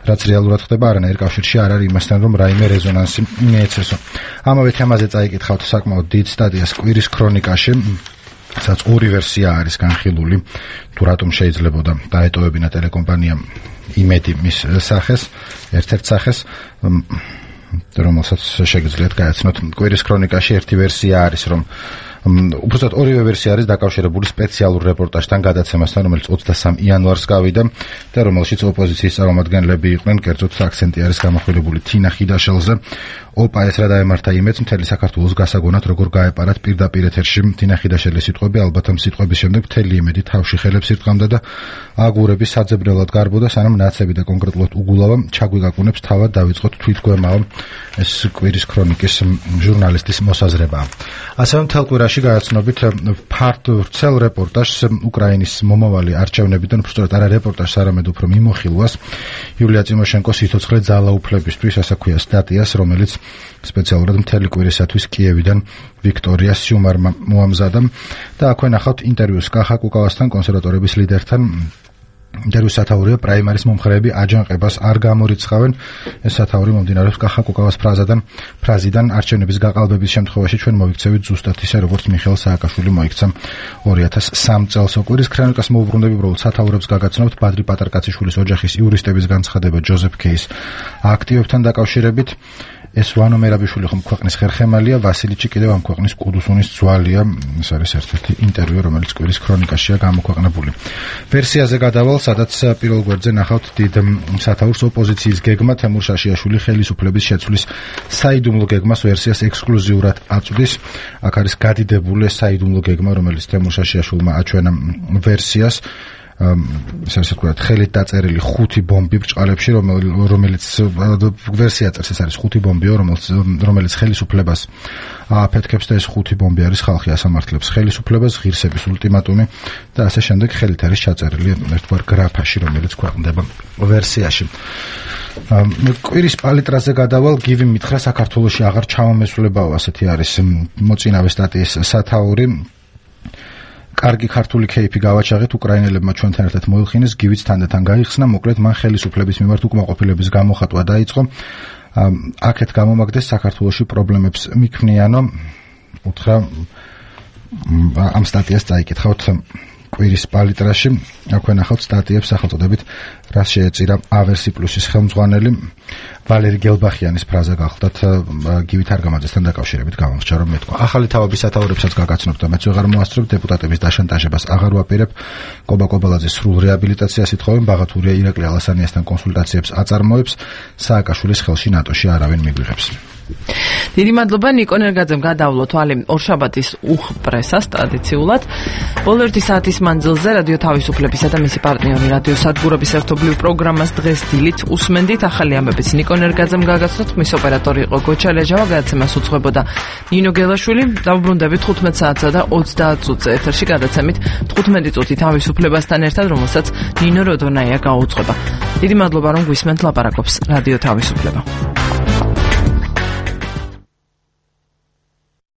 რაც რეალურად ხდება არანაირ კავშირში არ არის იმასთან, რომ რაიმე რეზონანსი მიეცესო. ამავე თემაზე წაიკითხავთ საკმაოდ დიდ სტატიას კვირის ქრონიკაში, სადაც ორი ვერსია არის განხილული, თუ რატომ შეიძლებოდა დაეტოვებინა ტელეკომპანია იმედი მის სახეს, ერთ-ერთ სახეს, რომელსაც შეგიძლიათ გააცნოთ. კვირის ქრონიკაში ერთი ვერსია არის, რომ უბრალოდ ორივე ვერსია არის დაკავშირებული სპეციალურ რეპორტაჟთან, გადაცემასთან, რომელიც ოცდასამი იანვარს გავიდა და რომელშიც ოპოზიციის წარმომადგენლები იყვნენ, კერძოდ აქცენტი არის გამახვილებული თინა ხიდაშელზე. ოპა ეს რა დაემართა იმედს მთელი საქართველოს გასაგონად, როგორ გაეპარათ პირდაპირ ეთერში თინა ხიდაშელის სიტყვები, ალბათ ამ სიტყვების შემდეგ მთელი იმედი თავში ხელებს ირტყამდა და აგურები საძებნელად გარბოდა, სანამ ნაცები და კონკრეტულად უგულავა ჩაგვიგაკუნებს თავად დავიწყოთ თვითგვემავა. ეს კვირის ქრონიკის ჟურნალისტის მოსაზრებაა. ასევე მთელ კვირაში გააცნობით ფართო ვრცელ რეპორტაჟს უკრაინის მომავალი არჩევნებიდან, უბრალოდ არა რეპორტაჟს, არამედ უფრო მიმოხილვას იულია ტიმოშენკოს სიცოცხლე ძალაუფლებისთვის, ასე ქვია სტატიას, რომელიც სპეციალურად მთელი კვირისათვის კიევიდან ვიქტორია სიუმარმა მოამზადა და აქვე ნახავთ ინტერვიუს კახა კუკავასთან, კონსერვატორების ლიდერთან. ინტერვიუს სათაურია პრაიმარის მომხრეები აჯანყებას არ გამორიცხავენ. ეს სათაური მომდინარეობს კახა კუკავას ფრაზიდან, ფრაზიდან არჩევნების გაყალბების შემთხვევაში ჩვენ მოვიქცევით ზუსტად ისე, როგორც მიხეილ სააკაშვილი მოიქცა ორი ათას სამი წელს. კვირის ქრონიკას მოუბრუნდები, უბრალოდ სათაურებს გაგაცნობთ ბადრი პატარკაციშვილის ოჯახის იურისტების განცხადება ჯოზეფ კეის აქტივებთან დაკავშირებით. ეს ვანო მერაბიშვილი ხომ ქვეყნის ხერხემალია, ვასილიჩი კიდევ ამ ქვეყნის კუდუსუნის ძვალია. ეს არის ერთ-ერთი ინტერვიუ, რომელიც კვირის ქრონიკაშია გამოქვეყნებული. ვერსიაზე გადავალ, სადაც პირველ გვერდზე ნახავთ დიდ სათაურს ოპოზიციის გეგმა თემურ შაშიაშვილი ხელისუფლების შეცვლის საიდუმლო გეგმას ვერსიას ექსკლუზიურად აწვდის. აქ არის გადიდებული საიდუმლო გეგმა, რომელიც თემურ შაშიაშვილმა აჩვენა ვერსიას. ესე ვთქვათ, ხელით დაწერილი ხუთი ბომბი ბრჭყალებში, რომელიც ვერსია წერს, ეს არის ხუთი ბომბიო, რომელიც რომელიც ხელისუფლებას ააფეთქებს და ეს ხუთი ბომბი არის ხალხი ასამართლებს ხელისუფლებას, ღირსების ულტიმატუმი და ასე შემდეგ ხელით არის ჩაწერილი ერთგვარ გრაფაში, რომელიც ქვეყნდება ვერსიაში. კვირის პალიტრაზე გადავალ, გივი მითხრა საქართველოში აღარ ჩამომესვლებაო, ასეთი არის მოწინავე სტატიის სათაური. კარგი ქართული кейფი გავაჩაღეთ, უკრაინელებმა ჩვენთან ერთად მოიხინეს, გივიც თანდათან გაიხსნა, მოკლედ მან ხელისუფლების მიმართ უკმაყოფილების გამოხატვა დაიწყო. აქეთ გამომაგდეს საქართველოში პრობლემებს მიქმნიანო. უთხრა ამ სტატიას წაიკითხავთ კვირის პალიტრაში, აქვე ნახავთ სტატიებს სახელწოდებით რას შეეწირა ავერსი პლუსის ხელმძღვანელი ვალერი გელბახიანის ფრაზა გახლდათ გივით არგამაძესთან დაკავშირებით გამორჩა რომ მეთქვა ახალი თავების სათაურებსაც გაგაცნობ და მეც ვეღარ მოასწრებ დეპუტატების დაშანტაჟებას აღარ ვაპირებ კობა კობალაძის სრულ რეაბილიტაციას ითხოვენ ბაღათურია ირაკლი ალასანიასთან კონსულტაციებს აწარმოებს სააკაშვილის ხელში ნატოში არავინ მიგვიღებს დიდი მადლობა ნიკო ნერგაძემ გადავლო თვალი ორშაბათის უხპრესას ტრადიციულად ბოლო ერთი საათის მანძილზე რადიო თავისუფლებისა და მისი პარტნიორი რადიო სადგურების ერთობლივ პროგრამას დღეს დილით უსმენდით ახალი ამბებიც ნიკო ნერგაძემ გაგაცნოთ მის ოპერატორი იყო გოჩა ლეჟავა გადაცემას უძღვებოდა ნინო გელაშვილი დავბრუნდებით თხუთმეტ საათსა და ოცდაათ წუთზე ეთერში გადაცემით თხუთმეტი წუთი თავისუფლებასთან ერთად რომელსაც ნინო როდონაია გაუძღვება დიდი მადლობა რომ გვისმენთ ლაპარაკობს რადიო თავისუფლება